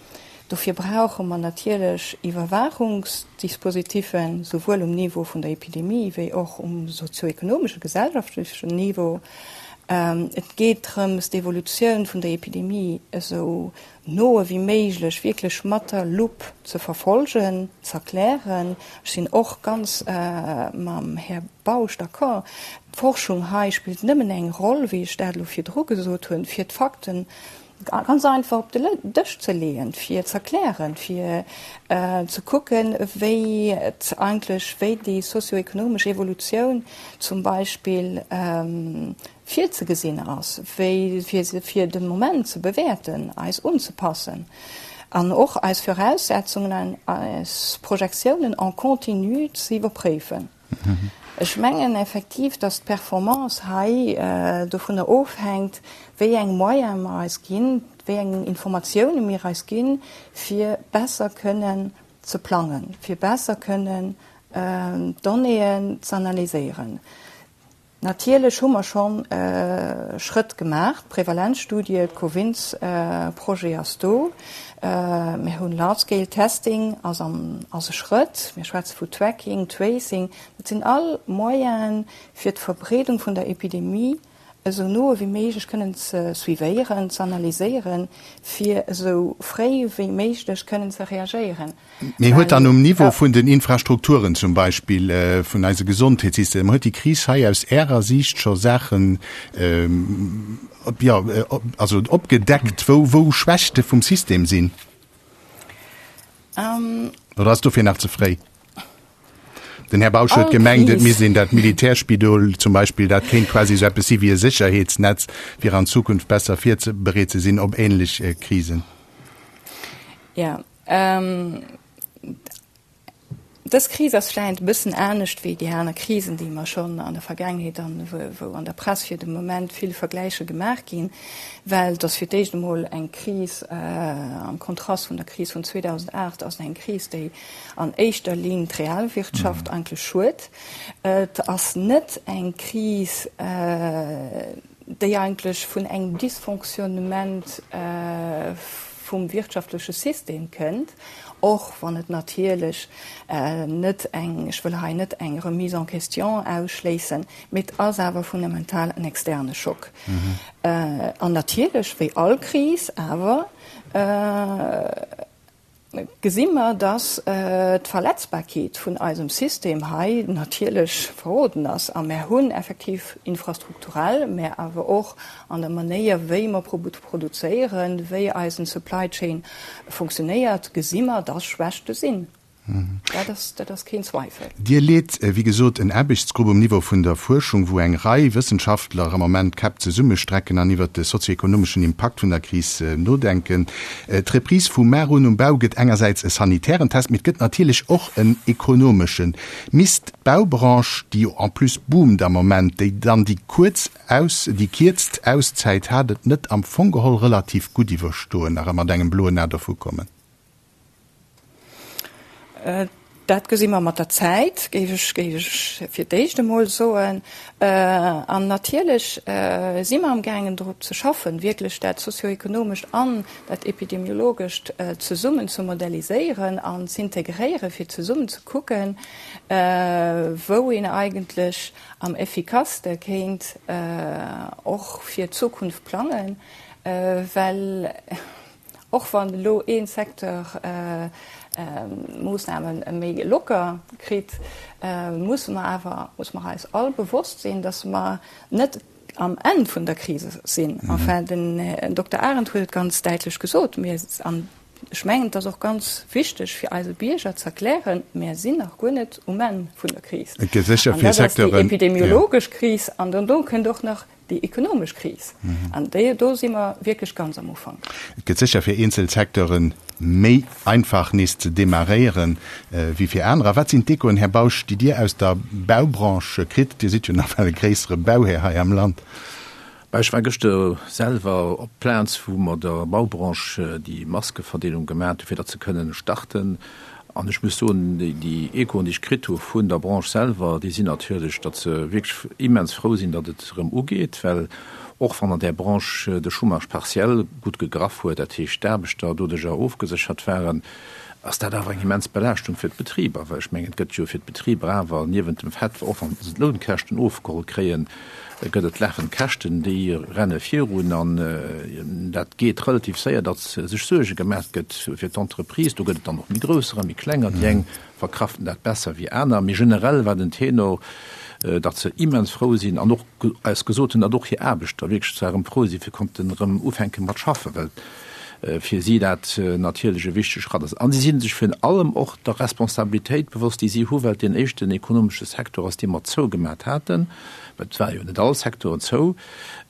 Dofir brauche mer natierlech Iwwerwaachungsdispositiffen, souwuel um Niveau vun der Epidemie wéi och um sozioekonomesche, gesellschaftlechen Niveau. Et geet drëms, d'Evolutioun vun der Epidemie esou no ewéi méiglech wierklech mat der Lupp ze verfolgen, z'erklären. Ech sinn och ganz mam Här Bausch d'accord, d'Forschung hei spillt nëmmen eng Roll, wéi ech dat elo virdru gesot hunn, fir d'Fakten ganz einfach op de Dësch ze leeën, fir z'erklären, fir ze kucken, wéi et eigentlech, wéi déi sozioekonomesch Evolutioun zum Beispill virzegesinn ass, wéi fir se fir de Moment ze bewäerten, eis unzepassen an och eis Voraussetzungen an eis Projektiounen en continu ze iwwerpréifen. Ech mengen effektiv, dass d'Performance hei dovunner ofhänkt, wéi eng Moyene mer eis ginn, wéi eng Informatioune mir eis ginn, fir besser kënnen ze plangen, fir besser kënnen d'Donnéeën z'analyséieren. Natierlech hu mer schonn Schrëtt gemaach, d'Prevalenzstudie, d'Covins-Projet ass do, mir hunn Large-Scale Testing ass am ass e Schrëtt, mir schwätze vu Tracking, Tracing, dat sinn all Moyenen, fir d'Verbreedung vun der Epidemie esou no ewéi méiglech kënnen ze suivéieren, ze analyséieren, fir esou fréi wéi méiglech kënnen ze reagéieren. Mee huet dann um Niveau vun den Infrastrukturen zum Beispill, vun eise Gesondheetssystem, huet déi Kris hei aus Ärer Siicht scho Saachen, jo, also opgedeckt, wou, wou Schwächte vum System sinn? Oder ass dofir nach ze fréi? Den Här Bausch huet gemengt, et misst een dat Militärspidol zum Beispill, dat kéint quasi esou eppes si wéi e Sécherheetsnetz, fir an Zukunft besser virbereet ze sinn op ähnlech Krisen. Jo, Dës Kris ass vläicht e bëssen anescht wéi déi aner Krisen, déi mer schonn an der Vergaangenheet an wou an der Press fir de Moment vill Vergläiche gemaach ginn, well et ass fir d'éischt emol eng Kris, am Kontrast vun der Kris vun 2008, ass et eng Kris, déi an éischter Linn d'Realwirtschaft eigentlech schued. Et ass net eng Kris, déi eigentlech vun engem Dysfonctionnement vum wirtschaftleche System kënnt, och wann et natierlech net eng, ech wëll hei net eng Remise en question ausschléissen, mee et ass awer fundamental en externe Schock. An natierlech, wéi all Kris awer, gesi mer, dass d'Verletzbarkeet vun eisem System hei natierlech verroden ass. A mer hunn effektiv infrastrukturell, mä awer och an der Manéier, wéi mer produzéieren, wéi eisen Supply Chain funktionéiert, gesi mer, dass Schwächte sinn. Dat ass, dat ass keen Zweifel. Dir leet, wéi gesot, en Aarbechtsgrupp um Niveau vun der Fuerschung, wou eng Rei Wëssenschaftler am Moment d'Käpp zesummestrecken an iwwert de sozioekonomeschen Impakt vun der Kris nodenken. D'Reprise vu mar un um Bau gëtt engersäits e sanitären Test, mee et gëtt natierlech och en ekonomeschen. Misst d'Baubranche, déi jo en plus boomt am Moment, déi dann déi kuerz aus déi kierzt Auszäit hat, et net am Fong geholl relativ gutt iwwerstoen, nach a mat engem bloen A dervukommen? Dat gesi mer mat der Zäit, géif ech, géif ech fir d'éischt emol soen. An natierlech si mer amgaangen drop ze schaffen, wierklech dat sozioekonomescht an dat epidemiologescht zesummen ze modelliséieren an z'integréieren, fir zesummen ze kucken, wou een eigentlech am effikasste kéint och fir d'Zukunft plangen, well Och wann elo ee Secteur d'Moossname méi locker kritt, musse mer awer, musse mer eis all bewosst sinn, datt mer net am Enn vun der Krise sinn. Enfin, den Dokter Arendt huet et ganz däitlech gesot, mir, an ech mengen, et ass och ganz wichteg fir eise Bierger ze erklären, mir sinn nach guer net um Enn vun der Kris. Et gëtt sécher An fir dat ass déi Secteuren, jo. epidemiologesch Kris an dono kënnt och nach Déi ekonomesch Kris, an déi, do si mer wierklech ganz am Ufank. Et gëtt sécher fir eenzel Secteure méi einfach nees ze demarréieren wéi fir anerer. Wat sinn d'Echoen, Här Bausch, déi Dir aus der Baubranche kritt? Dir sidd jo nawell e gréissere Bauhär hei am Land. Bah, ech war gëschter selwer op d'Plaz, wou mer der Baubranche déi Maskeverdeelung gemaat hu fir datt se kënnen starten. An ech muss soen, déi Echoen, déi ech kritt hu vun der Branche selwer, déi sinn natierlech, datt se wierklech immens frou sinn, datt et erëm ugeet, well och wann an där Branche de Chômage partiel gutt gegraff huet, dat heescht d'Aarbechter doduerjer ofgeséchert waren, ass dat awer eng immens Belaaschtung fir d'Betriber. Well ech mengen, et gëtt jo fir d'Betriber awer niewent dem Fait, och wa se d'Lounkäschten ofgeholl kréien, gëtt et lafend Käschten, déi renne virun an dat geet relativ séier, datt sech Suerge gemaach gëtt fir d'Entreprise. Do gëtt et dann och méi grousser a méi klenger. Déi eng verkraften dat besser wéi aner. Mee generell war den Tenor, datt se immens frou sinn an och eis gesot hunn, datt och hir Aarbechter wierklech zwar erëm frou sinn, fir konnten erëm ufänke mat schaffen, well fir si dat natierlech e wichtege Schratt ass. A si si sech virun allem och der Responsabilitéit bewosst, déi si hu, well et deen éischten ekonomesche Secteur ass, dee mer zougemat haten, well et ware jo net all Secteuren zou,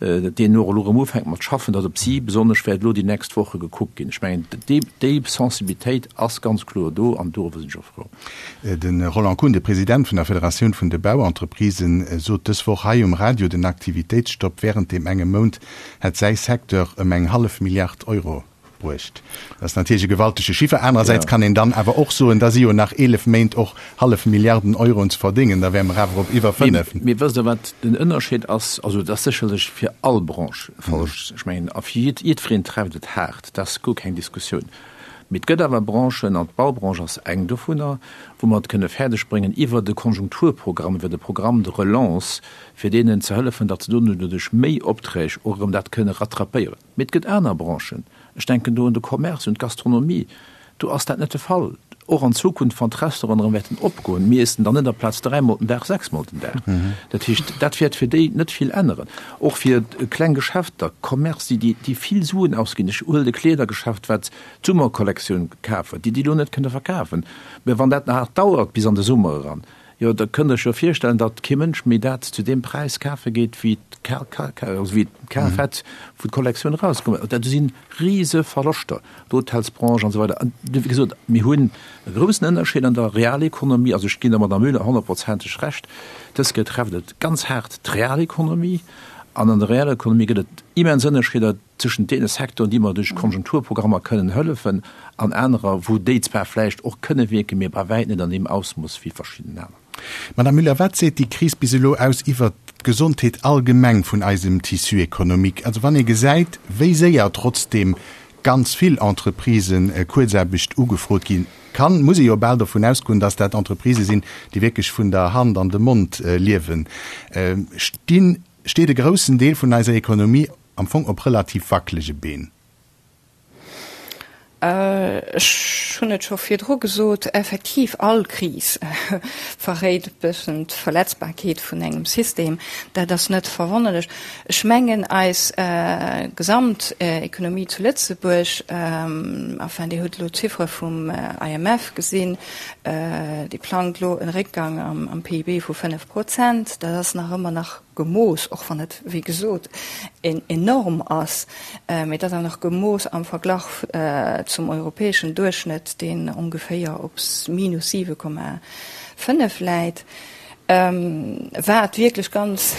deen och elo erëm ufänkt mat schaffen, datt op si besonnesch wäert elo déi nächst Woche gekuckt ginn. Ech mengen, déi Sensibilitéit ass ganz kloer do an doriwwer sinn ech och frou. De Roland Kuhn, de President vun der Federatioun vun de Bauentreprisen, sot dës Woch hei um Radio, den Aktivitéitsstopp wärend deem engem Mount hätt säi Secteur ëm eng hallef Milliard Euro bruecht. Dat ass natierlech e gewaltege Chiffer. Anerersäits kann een dann awer och soen, da si jo nach 11 Méint och hallef Milliarden Euroen ze verdéngen, da wäre mer awer op iwwer 5. Mee wësst Der, wat den Ënnerscheed ass? Also et ass sécherlech fir all Branche falsch. Ech mengen, a fir jiddwereen trefft et haart, dat ass guer keng Diskussioun. Mee et gëtt awer Branchen, an d'Baubranche ass eng dovunner, wou mer et kënne fäerdegbréngen, iwwert e Konjunkturprogramm, iwwert e Programme de relance, fir deenen ze hëllefen, datt se dono duerch méi Opträg och erëm dat kënne rattrapéieren. Mee et gëtt aner Branchen, ech denken do un de Commerce, un d'Gastronomie, do ass dat net de Fall. Och an Zukunft, wann d'Restauranten erëm wäerten opgoen, mir iessen dann net aplaz dräimol den Dag sechsmol den Dag. Dat heescht, dat wäert fir déi net vill änneren. Och fir kleng Geschäfter, Commerce, déi, déi vill Suen ausginn, ech huelen e Kleedergeschäft, wat d'Summerkollektioun kaf huet, déi déi elo net kënne verkafen. Mä wann dat nach dauert bis an de Summer eran, Jo, da kënnt Der iech jo virstellen, datt kee Mënsch méi dat zu deem Präis kafe geet, wéi et kaf hätt, wou d'Kollektioun erauskomm ass. Dat si rise Verloschter, d'Hotelsbranche an esou weider. An wéi gesot, mir hunn e groussen Ënnerscheed an der Realekonomie. Also ech ginn der Madame Müller honnertprozenteg Recht, dës Kéier trefft et ganz haart d'Realekonomie. An an der Realekonomie gëtt et immens Ënnerscheeder. tëschent deene Secteuren, déi mer duerch Konjunkturprogrammer kënnen hëllefen, an anerer, wou déi zwar vläicht och kënne wierken, mee bei wäit net an deem Ausmooss wéi verschidden aner. Madame Müller, wat seet déi Kris bis elo aus iwwert d'Gesondheet allgemeng vun eisem Tissu économique? Also wann ee gesäit, wéi séier trotzdeem ganz vill Entreprisen Kuerzaarbecht ugefrot ginn, kann, muss ee jo bal dovun ausgoen, dass dat Entreprisë sinn, déi wierklech vun der Hand an de Mond liewen. Stinn, steet e groussen Deel vun eiser Ekonomie am Fong op relativ wackelege Been. Ech hunn et scho virdru gesot, effektiv, all Kris verréit e bëssen d'Verletzbarkeet vun engem System. Dat ass net verwonnerlech. Ech mengen, eis Gesamtekonomie zu Lëtzebuerg, enfin, Dir hutt elo d'Chiffere vum IMF gesinn, déi plangt elo e Réckgang am PIB vu 5 Prozent. Dat ass nach ëmmer nach gemooss, och wann et, wéi gesot, enorm ass, mee et ass awer nach gemooss am Verglach zum europäeschen Duerchschnëtt, deen ongeféier op minus 7,5 läit, wat wierklech ganz.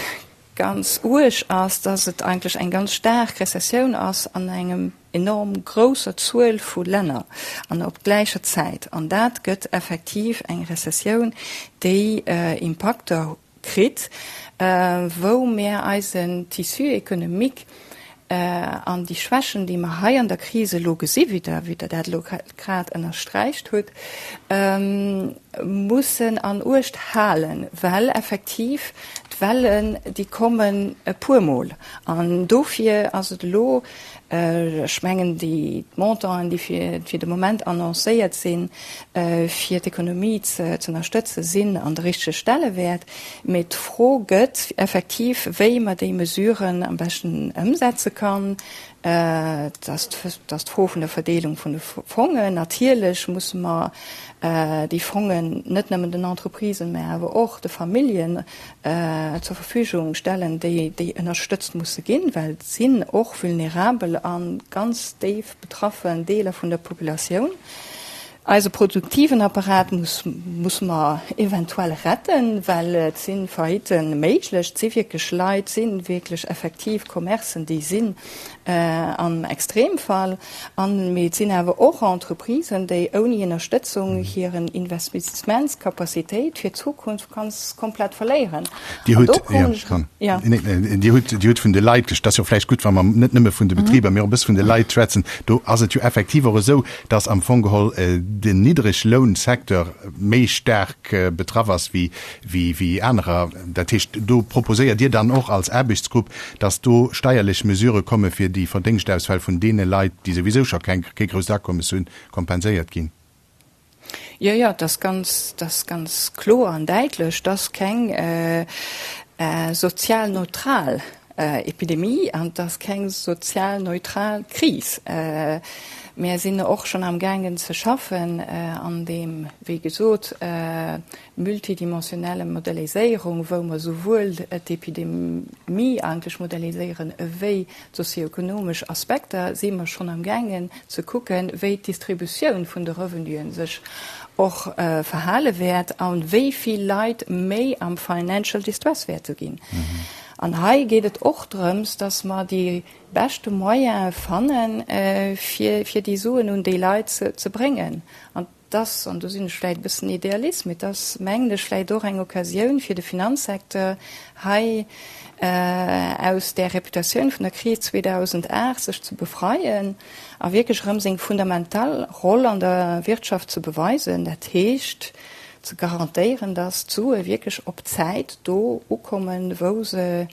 ganz uerg ass, dass et eigentlech eng ganz staark Rezessioun ass an engem enorm grousser Zuel vu Länner an op gläicher Zäit. An dat gëtt effektiv eng Rezessioun, déi Impakter kritt, wou mär eisen Tissu économique an déi Schwächen, déi mer hei an der Kris elo gesi wéi Der, wéi Der dat elo grad ënnersträicht hutt, mussen an Uecht halen, well effektiv d'Wellen, déi kommen e puermol. An dofir ass et elo, ech mengen, déi Montanten, déi fir, fir de Moment annoncéiert sinn, fir d'Ekonomie ze ënnerstëtzen, sinn an de richtege Stellewäert. Mee d'Fro gëtt effektiv, wéi mer déi Mesuren am beschten ëmsetze kann. Et ass d'Fro vun der Verdeelung vun de Fongen. Natierlech musse mer déi Fongen net nëmmen den Entreprisen, mä awer och de Familljen zur Verfügung stellen, déi ënnerstëtzt musse ginn, well et sinn och vulnerabel a ganz déif betraffen Deeler vun der Populatioun. Eise produktiven Apparat musse mer eventuell retten, well et si Faillite méiglech, et si wierklech Leit, et si wierklech effektiv Commercen, déi sinn am Extremfall. An, mee et sinn awer och Entreprisen, déi ouni Ënnerstëtzung hiren Investissementscapacitéit fir d'Zukunft ganz komplett verléieren. Dir hutt, jo, Dir hutt, Dir hutt vun de Leit gesch-, dat ass jo vläicht gutt, wa mer net nëmme vun de Betriber, mee och e bësse vun de Leit schwätzen. Do ass et jo effektiv och esou, dass am Fong geholl den Niddreglounsecteur méi staark betraff ass wéi, wéi anerer. Dat heescht, do proposéiert Dir dann och als Aarbechtsgrupp, dass do steierlech Mesurë komme fir déi Verdéngschtausfäll vun deene Leit, déi souwisou scho keng, kee grousst Akommes hunn, kompenséiert ginn. Jo, jo, et ass ganz, et ass ganz kloer an däitlech, dass keng sozial neutral Epidemie an et ass keng sozial neutral Kris. Mär sinn och schonn amgaangen ze schaffen an deem, wéi gesot, multidimensionelle Modelliséierung, wou mer souwuel d'Epidemie eigentlech modelliséieren ewéi d'sozioekonomesch Aspekter, si mer schonn amgaangen ze kucken, wéi d'Distributioun vun de Revenuen sech och verhale wäert a wéi vill Leit méi am Financial Distress wäerte ginn. An hei geet et och drëms, dass mer déi beschte Moyene fannen, fir, fir déi Suen un déi Leit ze, ze bréngen. An et ass, an do sinn ech vläicht e bëssen Idealist, mee et ass, mengen ech, vläicht och eng Occasioun fir de Finanzsecteur hei aus där Reputatioun vun der Kris 2008 sech ze befreien a wierklech erëm seng fundamental Roll an der Wirtschaft ze beweisen, dat heescht ze garantéieren, dass d'Sue wierklech op Zäit do ukommen, wou se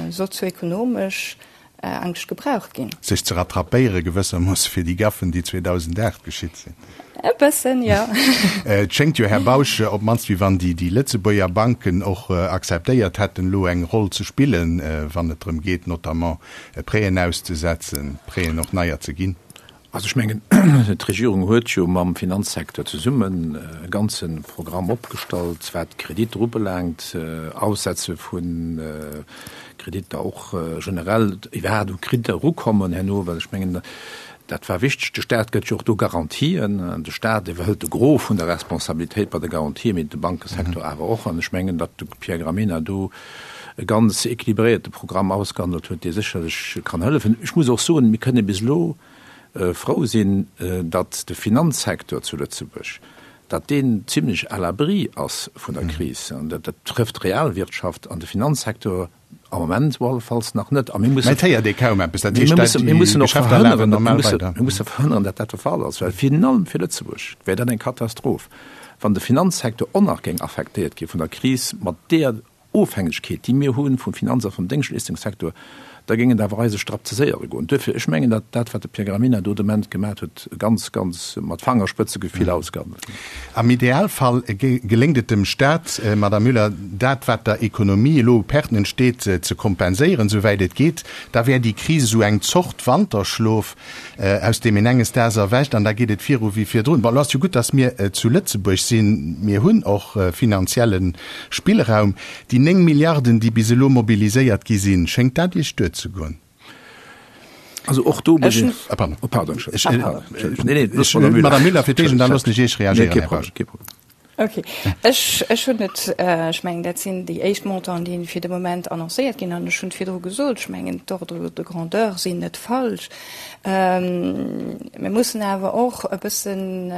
sozioekonomesch eigentlech gebraucht ginn. Sech ze rattrapéiere gewëssermoosse fir déi Gaffen, déi 2008 geschitt sinn. E bëssen, jo. Et schéngt jo, Här Bausch, op d'mannst wéi wann déi Lëtzebuerger Banken och akzeptéiert hätten, elo eng Roll ze spillen, wann et drëm geet, notamment Prêten auszesetzen, Prêten och neier ze ginn. Also ech mengen, d'Regierung huet jo mam Finanzsecteur zesummen e ganze Programm opgestallt, wat d'Kreditter ubelaangt, Aussetze vu Kreditter, och generell iwwerhaapt u Kreditter erukommen herno, well ech mengen, dat war wichteg. De Stat gëtt jo och do Garantien. De Stat iwwerhëlt de Gros vun der Responsabilitéit bei de Garantien, mee de Bankesecteur awer och. An ech mengen, datt de Pierre Gramegna do e ganz équilibréierte Programm ausgehandelt huet, dee sécherlech kann hëllefen. Ech muss och soen, mir kënne bis elo frou sinn, datt de Finanzsecteur zu Lëtzebuerg, datt deen zimlech à l'abri ass vun der Kris. An dat trëfft d'Realwirtschaft an de Finanzsecteur am Moment op alle Falls nach net. A mir mussen, Mä et héiert ee kaum eppes. Dat heescht, dat déi Geschäfter lafen normal weider. Mir musse verhënneren, datt dat de Fall ass, well virun allem fir Lëtzebuerg wär dat eng Katastroph, wann de Finanzsecteur och nach géing affektéiert gi vun der Kris mat deeër Ofhängegkeet, déi mir hu vum Finanz a vum Déngschtleeschtungssecteur, da géing et awer eise Strapp ze séier goen. Duerfir, ech mengen, datt dat, wat de Pierre Gramegna do de Moment gemat huet, ganz, ganz mat Fangerspëtzegefill ausgehandelt huet. Am Idealfall geléngt et dem Staat, Madame Müller, dat, wat der Ekonomie elo u Perten entsteet, ze kompenséieren, souwäit et geet. Da wär déi Kris esou eng Zort Wanterschlof, aus deem een enges Daags erwächt an da geet et viru wéi virdrun. Bon, elo ass jo gutt, datt mir zu Lëtzebuerg sinn. Mir hunn och finanzielle Spillraum. Déi 9 Milliarden, déi bis elo mobiliséiert gi sinn, schéngt dat Iech duerzegoen? Also och do muss ech. Ah, pardon. Oh, pardon. Ech, nee, nee, Madame Müller fir d'éischt an da loossen ech Iech reagéieren, Här Bausch. Ok. Ech, ech hunn et, ech mengen, dat sinn déi éischt Montanten, déi fir de Moment annoncéiert ginn. An ech hunn et virdru gesot, ech mengen, d'Ordres de grandeur sinn net falsch. Mir mussen awer och e bëssen,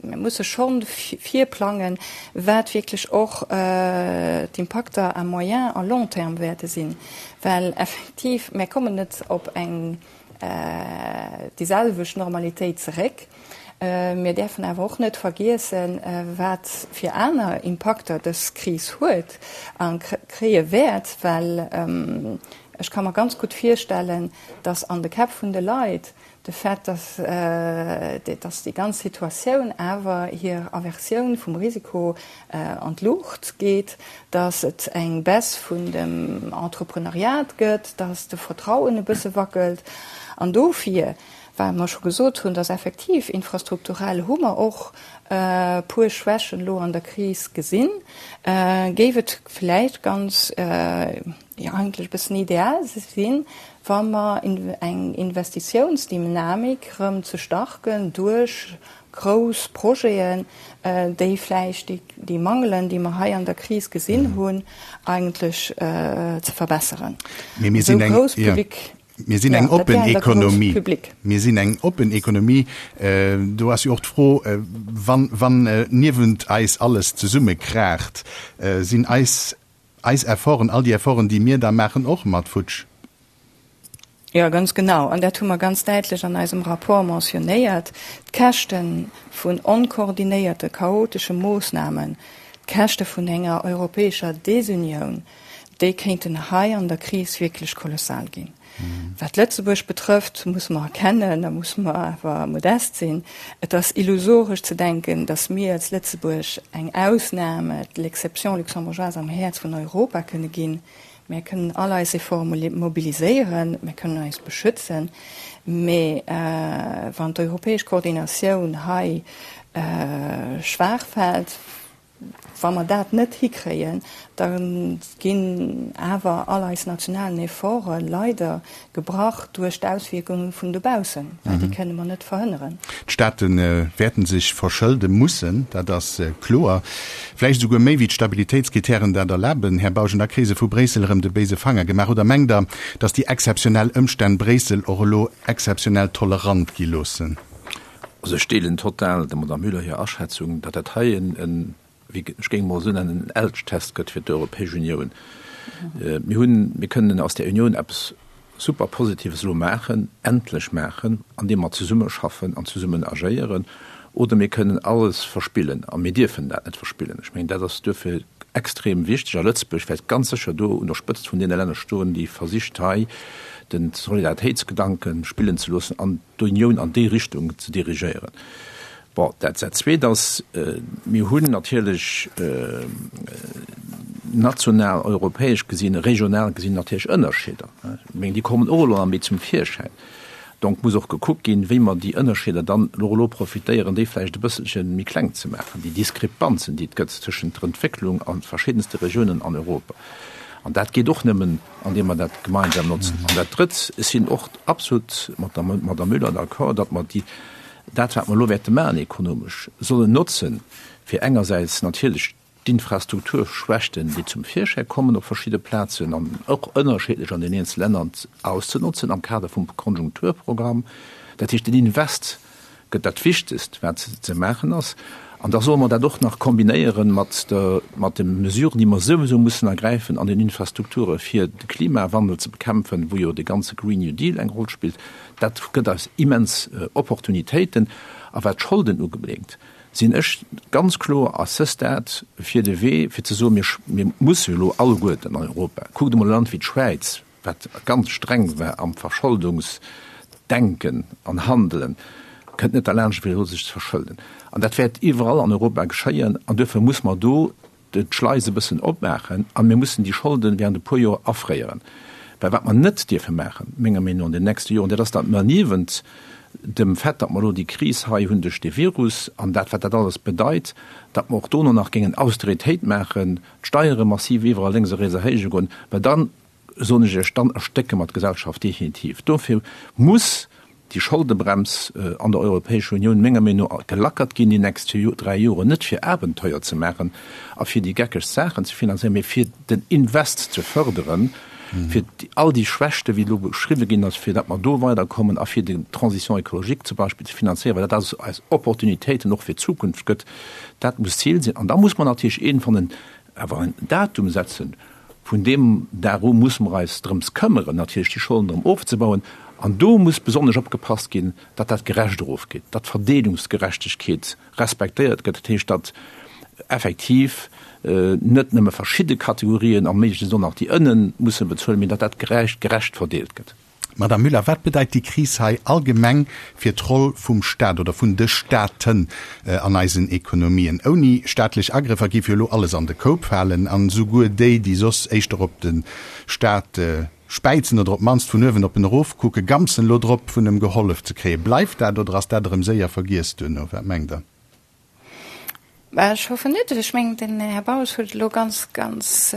mir musse schonn virplangen, wat wierklech och d'Impakter à moyen a long terme wäerte sinn. Well effektiv, mir kommen net op eng déi selwecht Normalitéit zeréck. Mir däerfen awer och net vergiessen, wat fir aner Impakter dës Kris huet a kréie wäert, well ech ka mer ganz gutt virstellen, dass an de Käpp vun de Leit de Fait, dass déi ganz Situatioun awer hir Aversioun vum Risiko an d'Luucht geet, dass et eng Baisse vun dem Entrepreneuriat gëtt, dass de Vertrauen e bësse wackelt. An dofir, well mer scho gesot hunn, dass effektiv infrastrukturell hu mer och e puer Schwächen elo an der Kris gesinn, géif et vläicht ganz, jo eigentlech e bëssen ideal sinn, wa mer eng Investitiounsdynamik erëm ze starken duerch grouss Projeten, déi vläicht déi Mangelen, déi mer hei an der Kris gesinn hunn, eigentlech ze verbesseren. Mee mir sinn eng, jo, mir sinn eng oppen Ekonomie. Mir sinn eng oppen Ekonomie. Do ass jo och d'Fro, wann, wann niewent eis alles zesummekraacht, sinn eis Eis Efforten, all déi Efforten, déi mir da maachen, och mat futsch. Jo, ganz genau. An dat hu mer ganz däitlech an eisem Rapport mentionnéiert, D'Käschte vun onkoordinéierte, chaotesche Moossnamen, d'Käschte vun enger europäescher Desunioun, déi kéinten hei an der Kris wierklech kolossal ginn. Wat Lëtzebuerg betrëfft, musse mer erkennen, da musse mer awer modest sinn, et ass illusoresch ze denken, datt mir als Lëtzebuerg eng Ausnahme, l'exception luxembourgeoise am Häerz vun Europa kënne ginn. Mir kënnen all eis Efforte mobiliséieren, mir kënnen eis beschützen, mee wann d'europäesch Koordinatioun hei schwaach fält, Wa mer dat net hikréien, da ginn awer all eis nationalen Efforte leider gebrach duerch d'Auswierkunge vun dobaussen, well déi kënne mer net verhënneren. D'Staate wäerten sech verschëlde mussen, dat ass kloer. Vläicht esouguer méi wéi d'Stabilitéitskritären dat erlaben. Här Bausch, an da kréie se vu Bréissel erëm de béise Fanger gemaach. Oder mengt Der, datt déi exzeptionell Ëmstänn Bréissel och elo exzeptionell tolerant gi loossen? Also ech deelen total der Madame Müller hir Aschätzung, datt dat hei en, wéi ech géing emol esou nennen, en Elchtest gëtt fir d'Europäesch Unioun. Mir hunn, mir kënnen aus där Unioun eppes super Positives elo maachen, endlech maachen, andeem mer zesummeschaffen an zesummen agéieren, oder mir kënnen alles verspillen. A mir dierfen dat net verspillen. Ech mengen, dat ass duerfir extrem wichteg. A Lëtzebuerg wäert ganz sécher do un der Spëtzt vun deene Länner stoen, déi versicht hei den Solidaritéitsgedanke spillen ze loossen an d'Unioun an déi Richtung ze dirigéieren. Bon, dat dat Zweet ass, mir hunn natierlech national, europäesch gesinn, regional gesinn natierlech Ënnerscheeder. Ech mengen, déi kommen och elo nach méi zum Virschäin. Donc muss och gekuckt ginn, wéi mer déi Ënnerscheeder dann elo elo profitéieren, déi vläicht e bësselche méi kleng ze maachen, déi Diskrepanzen, déi et gëtt tëschent der Entwécklung a verschiddenste Regiounen an Europa. An dat geet och nëmmen, andeem mer dat gemeinsam notzen. An dat Drëtt, ech sinn och absolut mat der Madame Müller d'accord, datt mer déi, dat wat mer elo wäerte maachen ekonomesch, sollen notzen, fir engersäits natierlech d'Infrastrukturschwächten, déi zum Virschäi kommen op verschidde Plazen an och ënnerscheedlech an den eenzele Länner, auszenotzen am Kader vum Konjunkturprogramm. Dat heescht, den Invest gëtt dat Wichtegst, wat ze maachen ass. An da solle mer dat och nach kombinéiere mat der, mat de Mesuren, déi mer souwisou mussen ergräifen an den Infrastrukture fir de Klimawandel ze bekämpfen, wou jo de ganze Green New Deal eng Roll spillt. Dat gëtt eis immens Opportunitéiten. A wat d'Scholden ubelaangt, sinn ech ganz kloer à ce stade fir de Wee, fir ze soen, mir, mir musse elo alleguerten an Europa, kuckt emol e Land wéi d'Schwäiz, wat ganz streng war am Verscholdungsdenken an Handelen, kënnt net derlaanscht, fir elo sech ze verschëlden. An dat wäert iwwerall an Europa geschéien. An duerfir muss mer do d'Schleis e bëssen opmaachen a mir mussen déi Scholde während e puer Joer afréieren. Well wat mer net dierfe maachen, menger Meenung no, an den nächste Joren, dat ass, datt mer niewent dem Fait, datt mer elo déi Kris hei hunn duerch de Virus an dat, wat dat alles bedeit, datt mer och dono nach géingen Austeritéit maachen, d'Steiere massiv iwwerall lénks a riets erhéije goen, well dann, soen ech Iech, dann erstécke mer d'Gesellschaft definitiv. Dofir muss déi. déi Scholdebrems an der Europäescher Unioun menger Meenung no gelackert ginn déi nächst 3 Joren, net fir Abenteuer ze maachen a fir déi geckegst Saachen ze finanzéieren, mee fir den Invest ze förderen, fir all déi Schwächten, wéi elo beschriwwen ginn ass, fir datt mer do weiderkommen a fir d'Transition écologique zum Beispill ze finanzéieren, well dat eis Opportunitéiten och fir d'Zukunft gëtt. Dat muss d'Zil sinn. An da muss mer natierlech iergendwann en awer en Datum setzen, vun deem Dag u muss mer eis drëms këmmeren, natierlech déi Scholden erëm ofzebauen. An do muss besonnesch opgepasst ginn, datt dat gerecht erofgeet, datt d'Verdeelungsgerechtegkeet respektéiert gëtt, dat heescht, datt effektiv net nëmme verschidde Kategorien a méiglechst och nach déi ënnen musse bezuelen, mee datt dat gerecht, gerecht verdeelt gëtt. Madame Müller, wat bedeit déi Kris hei allgemeng fir d'Roll vum Stat oder vun de Staten an eisen Ekonomien? Ouni staatlech Agrëffer géif jo elo alles an de Koup falen an esouguer déi, déi soss éischter op de Stat späizen oder op d'mannst vun uewen op en erofkucken, gampsen elo drop, vun em gehollef ze kréien. Bleift dat oder ass dat erëm séier vergiess duerno? Wat mengt Der? Ech hoffen net. Ech mengen, den Här Bausch huet et elo ganz, ganz,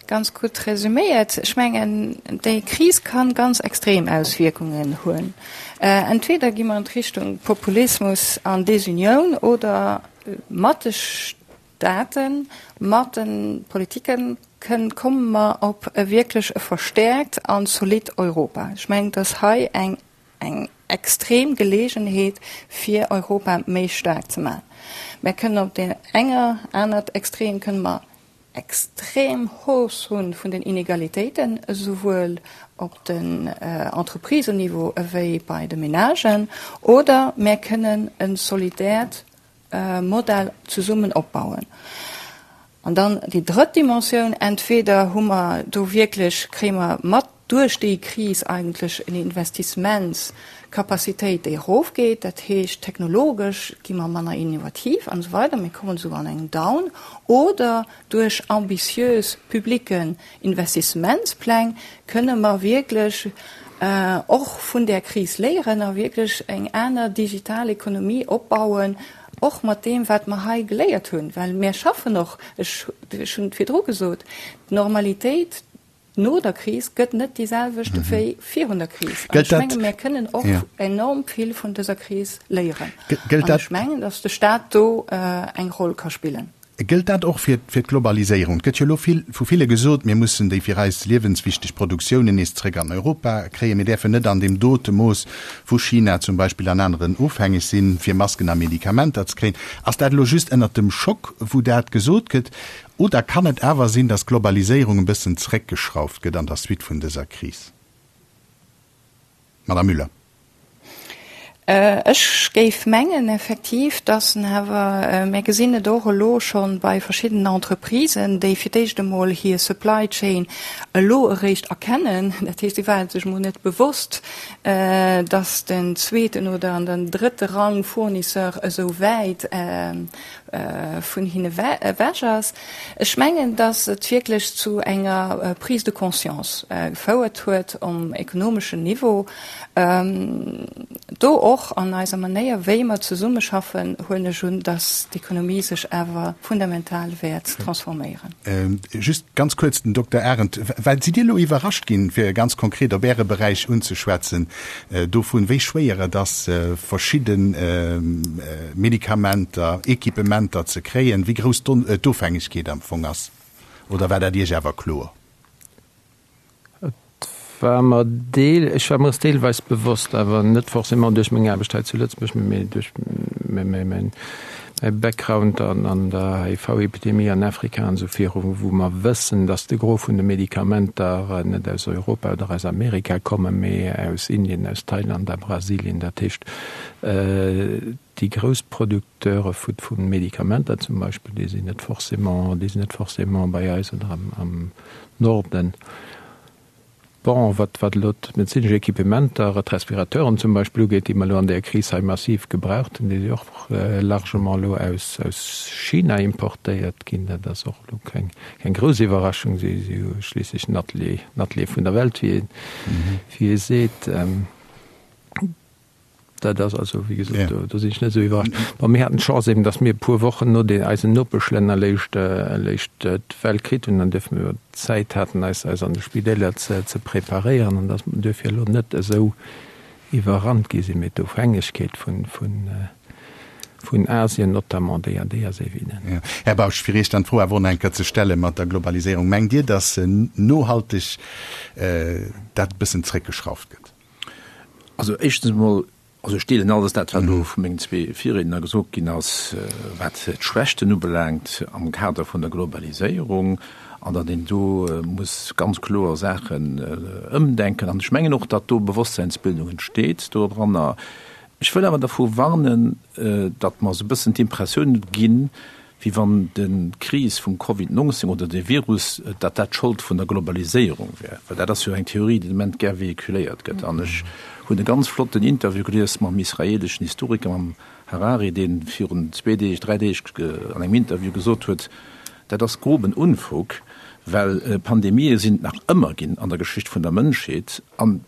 ganz gutt resüméiert. Ech mengen, déi Kris kann ganz extrem Auswierkungen hunn. Entweder gi mer an d'Richtung Populismus an Desunioun oder mat de Staaten, mat de Politiken kënn, komme mer op e wierklech e verstäerkt an zolidd Europa. Ech mengen, dass hei eng eng extrem Geleegenheet fir Europa méi staark ze maachen. Mer kënnen op där enger anert Extrem kënne mer extrem Hausse hu vun den Inegalitéiten, esouwuel op den Entreprisenniveau ewéi bei de Menagen, oder mer kënnen e solidäert Modell zesummen opbauen. An dann déi drëtt Dimensioun, Entweder hu mer do wierklech, kréie mer mat duerch déi Kris eigentlech en Investissementscapacitéit, déi erofgeet, dat heescht technologesch gi mer manner innovativ an esou weider, mir kommen esou an eng Down, oder duerch ambitiös publicken Investissementspläng kënne mer wierklech och vun där Kris léieren a wierklech eng aner digital Ekonomie opbauen, och mat deem, wat mer hei geléiert hunn. Well mir schaffen och, ech hunn et virdru gesot, d'Normalitéit no der Kris gëtt net déi selwecht wéi virun der Kris. An ech menge mir kënnen och enorm vill vun dëser Kris léieren. An ech mengen, datt de Stat do eng Roll ka spillen. Gëllt dat och fir d'Globaliséierung? Et gëtt jo elo vill, vu ville gesot, mir mussen déi fir eis liewenswichteg Produktiounen nees zrëck an Europa kréien. Mir däerfen net an deem dote Mooss vu China zum Beispill an aneren ofhängeg sinn, fir Masken a Medikamenter ze kréien. Ass dat elo just ënnert dem Schock, wou dat gesot gëtt, oder kann et awer sinn, datt d'Globaliséierung e bëssen zrëckgeschrauft gëtt an der Suite vun dëser Kris? Madame Müller. Ech géif mengen effektiv, dass en awer, mir gesinn et och elo scho bei verschiddenen Entreprisen, déi fir d'éischt emol hir Supply Chain elo eréischt erkennen, dat heescht, si ware sech emol net bewosst, dass den zweeten oder an den drëtte Rang Fournisseur esou wäit vun hinne ewech ass. Ech mengen, dass et wierklech zu enger Prise de conscience gefouert huet um ekonomeschen Niveau. Do och an eiser Manéier, wéi mer zesummeschaffen, huelen ech un, dass d'Ekonomie sech awer fundamental wäert transforméieren. Just ganz kuerz, den Dokter Arendt, well sidd Dir elo iwwerrascht ginn, fir ganz konkret op Äre Beräich unzeschwätzen, dovun, wéi schwéier et ass, verschidde Medikamenter, Equipementer ze kréien, wéi grouss d'Ofhängegkeet am Fong ass? Oder war dat Iech awer kloer? Et war mer deel, ech war mer es deelweis bewosst, awer net forcément duerch meng Aarbecht hei zu Lëtzebuerg, mee duerch mäi Background an der HIV-Epidemie an Afrika an esou viru, wou mer wëssen, datt de Gros vun de Medikamenter net aus Europa oder aus Amerika kommen, mee aus Indien, aus Thailand a Brasilien. Dat heescht, déi grouss Producteure vu Medikamenter zum Beispill, déi sinn net forcément, déi sinn net forcément bei eis oder am Norden. Bon, wat wat elo d'medezinesch Equipementer, d'Respirateuren zum Beispill ugeet, déi mer elo an där Kris hei massiv gebraucht hunn, déi si och largement elo aus aus China importéiert ginn. Dat ass och elo keng keng grouss Iwwerraschung. Si si hu schliisslech den Atelier, den Atelier vun der Welt, wéi ee wéi ee seet. Dat ass also, wéi gesot, do, do sinn ech net esou iwwerrascht. Bon, mir haten d'Chance eben, datt mir e puer Wochen no den, eisen Nopeschlänner léischt, léischt d'Well kritt hunn an duerfir mir Zäit haten, eis, eis an de Spidäler ze, ze preparéieren an datt mer duerfir elo net esou. iwwerrannt gi sinn, mee d'Ofhängegkeet vun, vun, vun Asien notamment, déi, déi ass evident. Jo. Här Bausch, fir Iech dann d'Fro awer och nach eng Kéier ze stelle mat der Globaliséierung, Mengt Dir, datt nohalteg dat e bëssen zréckgeschrauft gëtt? Also éischtens emol, also ech deelen alles dat, wat elo vu mengen zwee Virriedner gesot ginn ass, wat d'Schwächten ubelaangt am Kader vun der Globaliséierung an datt een do muss ganz kloer Saachen ëmdenken. An ech mengen och, datt do Bewosstseinsbildung entsteet doranner. Ech wëll awer dervu warnen, datt mer esou e bëssen d'Impressioun ginn, wéi wann d'Kris vum Covid 19 oder de Virus, datt dat d'Schold vun der Globaliséierung wär. Well dat ass jo eng Theorie, déi de Moment gär véhiculéiert gëtt. An ech hunn e ganz flotten Interview gelies mam israeleschen Historiker, mam Harari, dee virun zwee Deeg, dräi Deeg an engem Interview gesot huet, dat ass groben Unfug, well Pandemië sinn et nach ëmmer ginn an der Geschicht vun der Mënschheet. An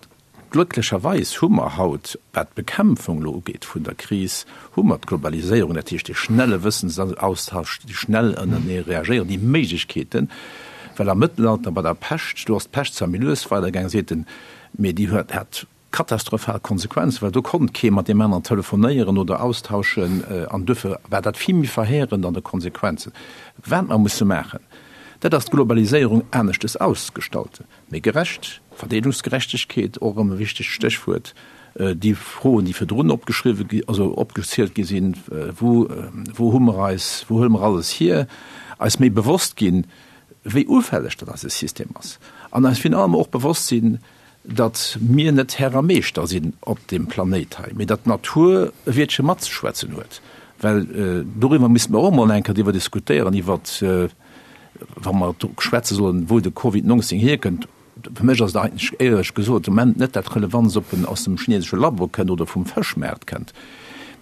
Glécklecherweis hu mer haut, wat d'Bekämpfung elo ugeet vun der Kris, hu mer d'Globaliséierung, dat heescht dee schnelle Wëssensaustausch, déi schnell ënnerenee reagéieren, déi Méiglechkeeten. Well am Mëttelalter bei der Pescht, do ass d'Pescht zwar méi lues weidergaangen, seet en, mee déi huet, hat katastrophal Konsequenzen, well do konnt kee mat deem aneren telefonéieren oder austauschen an duerfir war dat vill méi verheerend an de Konsequenzen. Wat mer musse maachen, dat ass d'Globaliséierung aneschtes ausgestalten. Méi gerecht, Verdeelungsgerechtegkeet, och erëm e wichtegt Stéchwuert, déi Froen, déi virdrun opgeschriwwe gi, also opgezielt gi sinn, wou, wou hu mer eis, wou huele mer alles hier, eis méi bewosst ginn, wéi ufälleg datt eise System ass an eis virun allem och bewosst sinn, datt mir net Här a Meeschter sinn op deem Planéit hei, mee datt d'Natur e Wiertche matzeschwätzen huet. Well doriwwer misste mer och emol eng Kéier driwwer diskutéieren, iwwert, wa mer schwätze sollen, wou de Covid 19 hierkënnt, fir mech ass et eigentlech éierlech gesot de Moment net dat Relevantst, ob en aus dem chinesesche Labo kënnt oder vum Fëschmaart kënnt.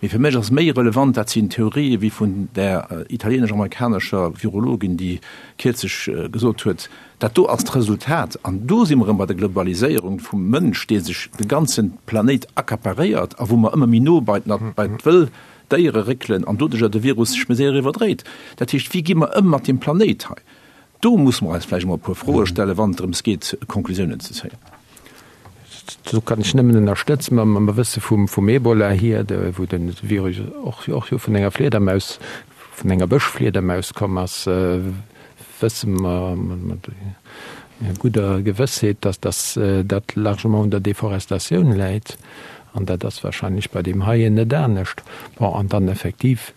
Mee fir mech ass méi relevant, dat sinn Theorië wéi vun där italienesch-amerikanescher Virologin, déi kierzlech gesot huet, dat do ass d'Resultat, an do si mer erëm bei der Globaliséierung, vum Mënsch, dee sech de ganze Planéit accaparéiert a wou mer ëmmer méi no bei d'Wëll Déiere réckelen an doduercher de Virus sech méi séier iwwerdréit. Dat heescht, wéi gi mer ëm mat deem Planéit hei? Do musse mer eis vläicht emol e puer Froe stellen, wann et drëms geet, Konklusiounen ze zéien. Do kann ech nëmmen ënnerstëtzen, mam Wësse vum Ebola hier, wou de Virus och jo vun enger Fliedermaus, vun enger Bëschfliedermaus komm ass, wësse mer mat gudder Gewëssheet, dass dat largement un der Deforestatioun läit. An dat ass wahrscheinlech bei deem heien net anescht. Bon, an dann effektiv,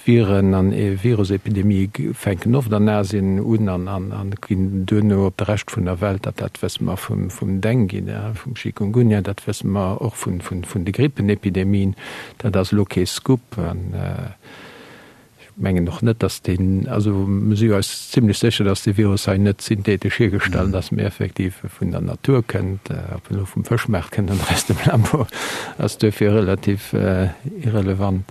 Viren an Virusepidemië fänken oft an Asien un an ginn duerno op de Rescht vun der Welt. Dat dat wësse mer vum Dengue, vum Chikungunya, dat wësse mer och vun de Grippenepidemien. Dat ass elo kee Scoop. Ech mengen och net, dass deen, also mer si eis zimlech sécher, dass dee Virus hei net synthetesch hiergestallt ass, mee effektiv vun der Natur kënnt. Ob en elo vum Fëschmaart kënnt oder aus dem Labo, ass duerfir relativ irrelevant.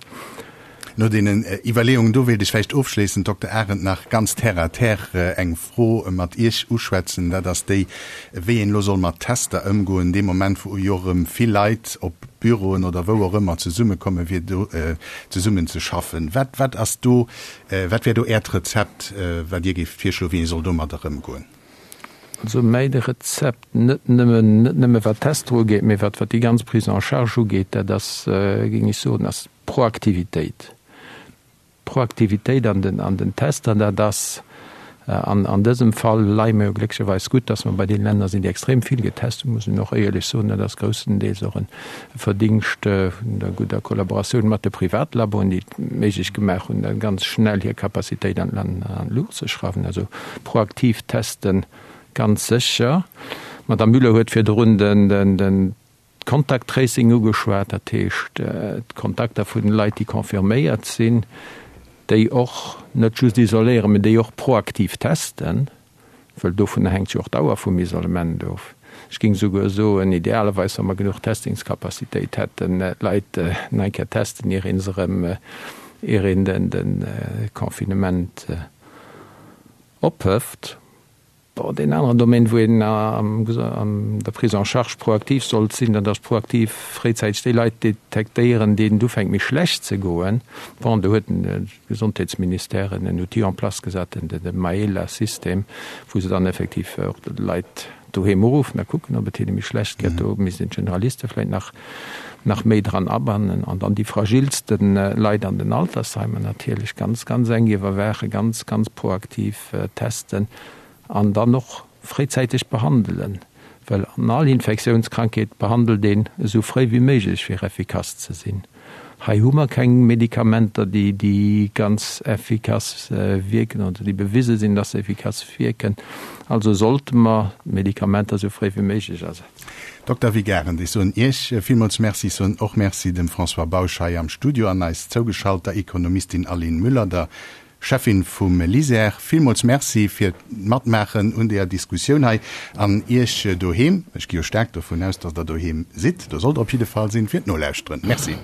No deenen Iwwerleeungen do wéilt ech vläicht ofschléissend, Dokter Arendt, nach ganz terre à terre eng Fro mat Iech uschwätzen. Dat ass déi, wéi een elo soll mat Tester ëmgoen, dee Moment, wou jo erëm vill Leit op Büroen oder wou och ëmmer zesummekommen, fir do zesummen ze schaffen. Wat, wat ass do, wat wär do Äert Rezept, wat Dir géift virschloen, wéi ee soll domadder ëmgoen? Also mäi Rezept, net nëmmen, net nëmme wat d'Tester ugeet, mee wat, wat déi ganz Prise en charge ugeet, dat ass, géing ech soen, ass Proaktivitéit. Proaktivitéit an den, an den Tester, dat ass an, an dësem Fall leie mer jo glécklecherweis gutt, dass mer bei deene Länner sinn, déi extrem vill getest hunn, muss een och éierlech soen. Dat ass groussendeels och e Verdingscht vun der gudder Kollaboratioun mat de Privatlaboen, déi et méiglech gemaach hunn, da ganz schnell hir Capacitéit an d'Luucht ze schrauwen. Also proaktiv testen, ganz sécher. D'Madame Müller huet virdrun den, den, den Contact Tracing ugeschwat, dat heescht d'Kontakter vun den Leit, déi confirméiert sinn, déi och net just isoléieren, mä déi och proaktiv testen, wëll dovunner hänkt jo och d'Dauer vum Isolement of. Ech géing souguer soen, idealerweis, wa mer genuch Testingscapacitéit hätten, d'Leit nach eng Kéier testen, ier ee se erëm, ier een de Confinement ophëft. Bon, deen aneren Domaine, wou een an der Prise en charge proaktiv sollt sinn, dat ass proaktiv fréizäiteg déi Leit detektéieren, deenen et ufänkt méi schlecht ze goen. Bon, do huet de Gesondheetsministère en Outil en place gesat, de Maela-System, wou se dann effektiv och de Leit. Doheem uruffen a kucken, ob et hinne méi schlecht gëtt. Do misst een d'Generaliste vläicht nach, nach méi dran abannen. An dann déi fragilste Leit an den Altersheimer natierlech ganz, ganz enk iwwerwaachen, ganz, ganz proaktiv testen an dann och fréizäiteg behandelen. Well an all Infektiounskrankheet behandelt een esou fréi wéi méiglech, fir effikass ze sinn. Hei hu mer keng Medikamenter, déi, déi ganz effikass wierken oder déi bewise sinn, dass se effikass wierken. Also sollte mer d'Medikamenter esou fréi wéi méiglech asetzen. Dokter Vic Arendt, ech soen Iech villmools Merci. Ech soen och Merci dem François Bausch hei am Studio an eis zougeschalter Ekonomistin Aline Müller, der Cheffin vum LISER. Villmools Merci fir d'Matmaachen un deeër Diskussioun hei an Iech doheem, ech gi jo staark dovun aus, dass Der doheem sidd, do sollt Der op jidde Fall sinn, fir d'Nolauschteren. Merci.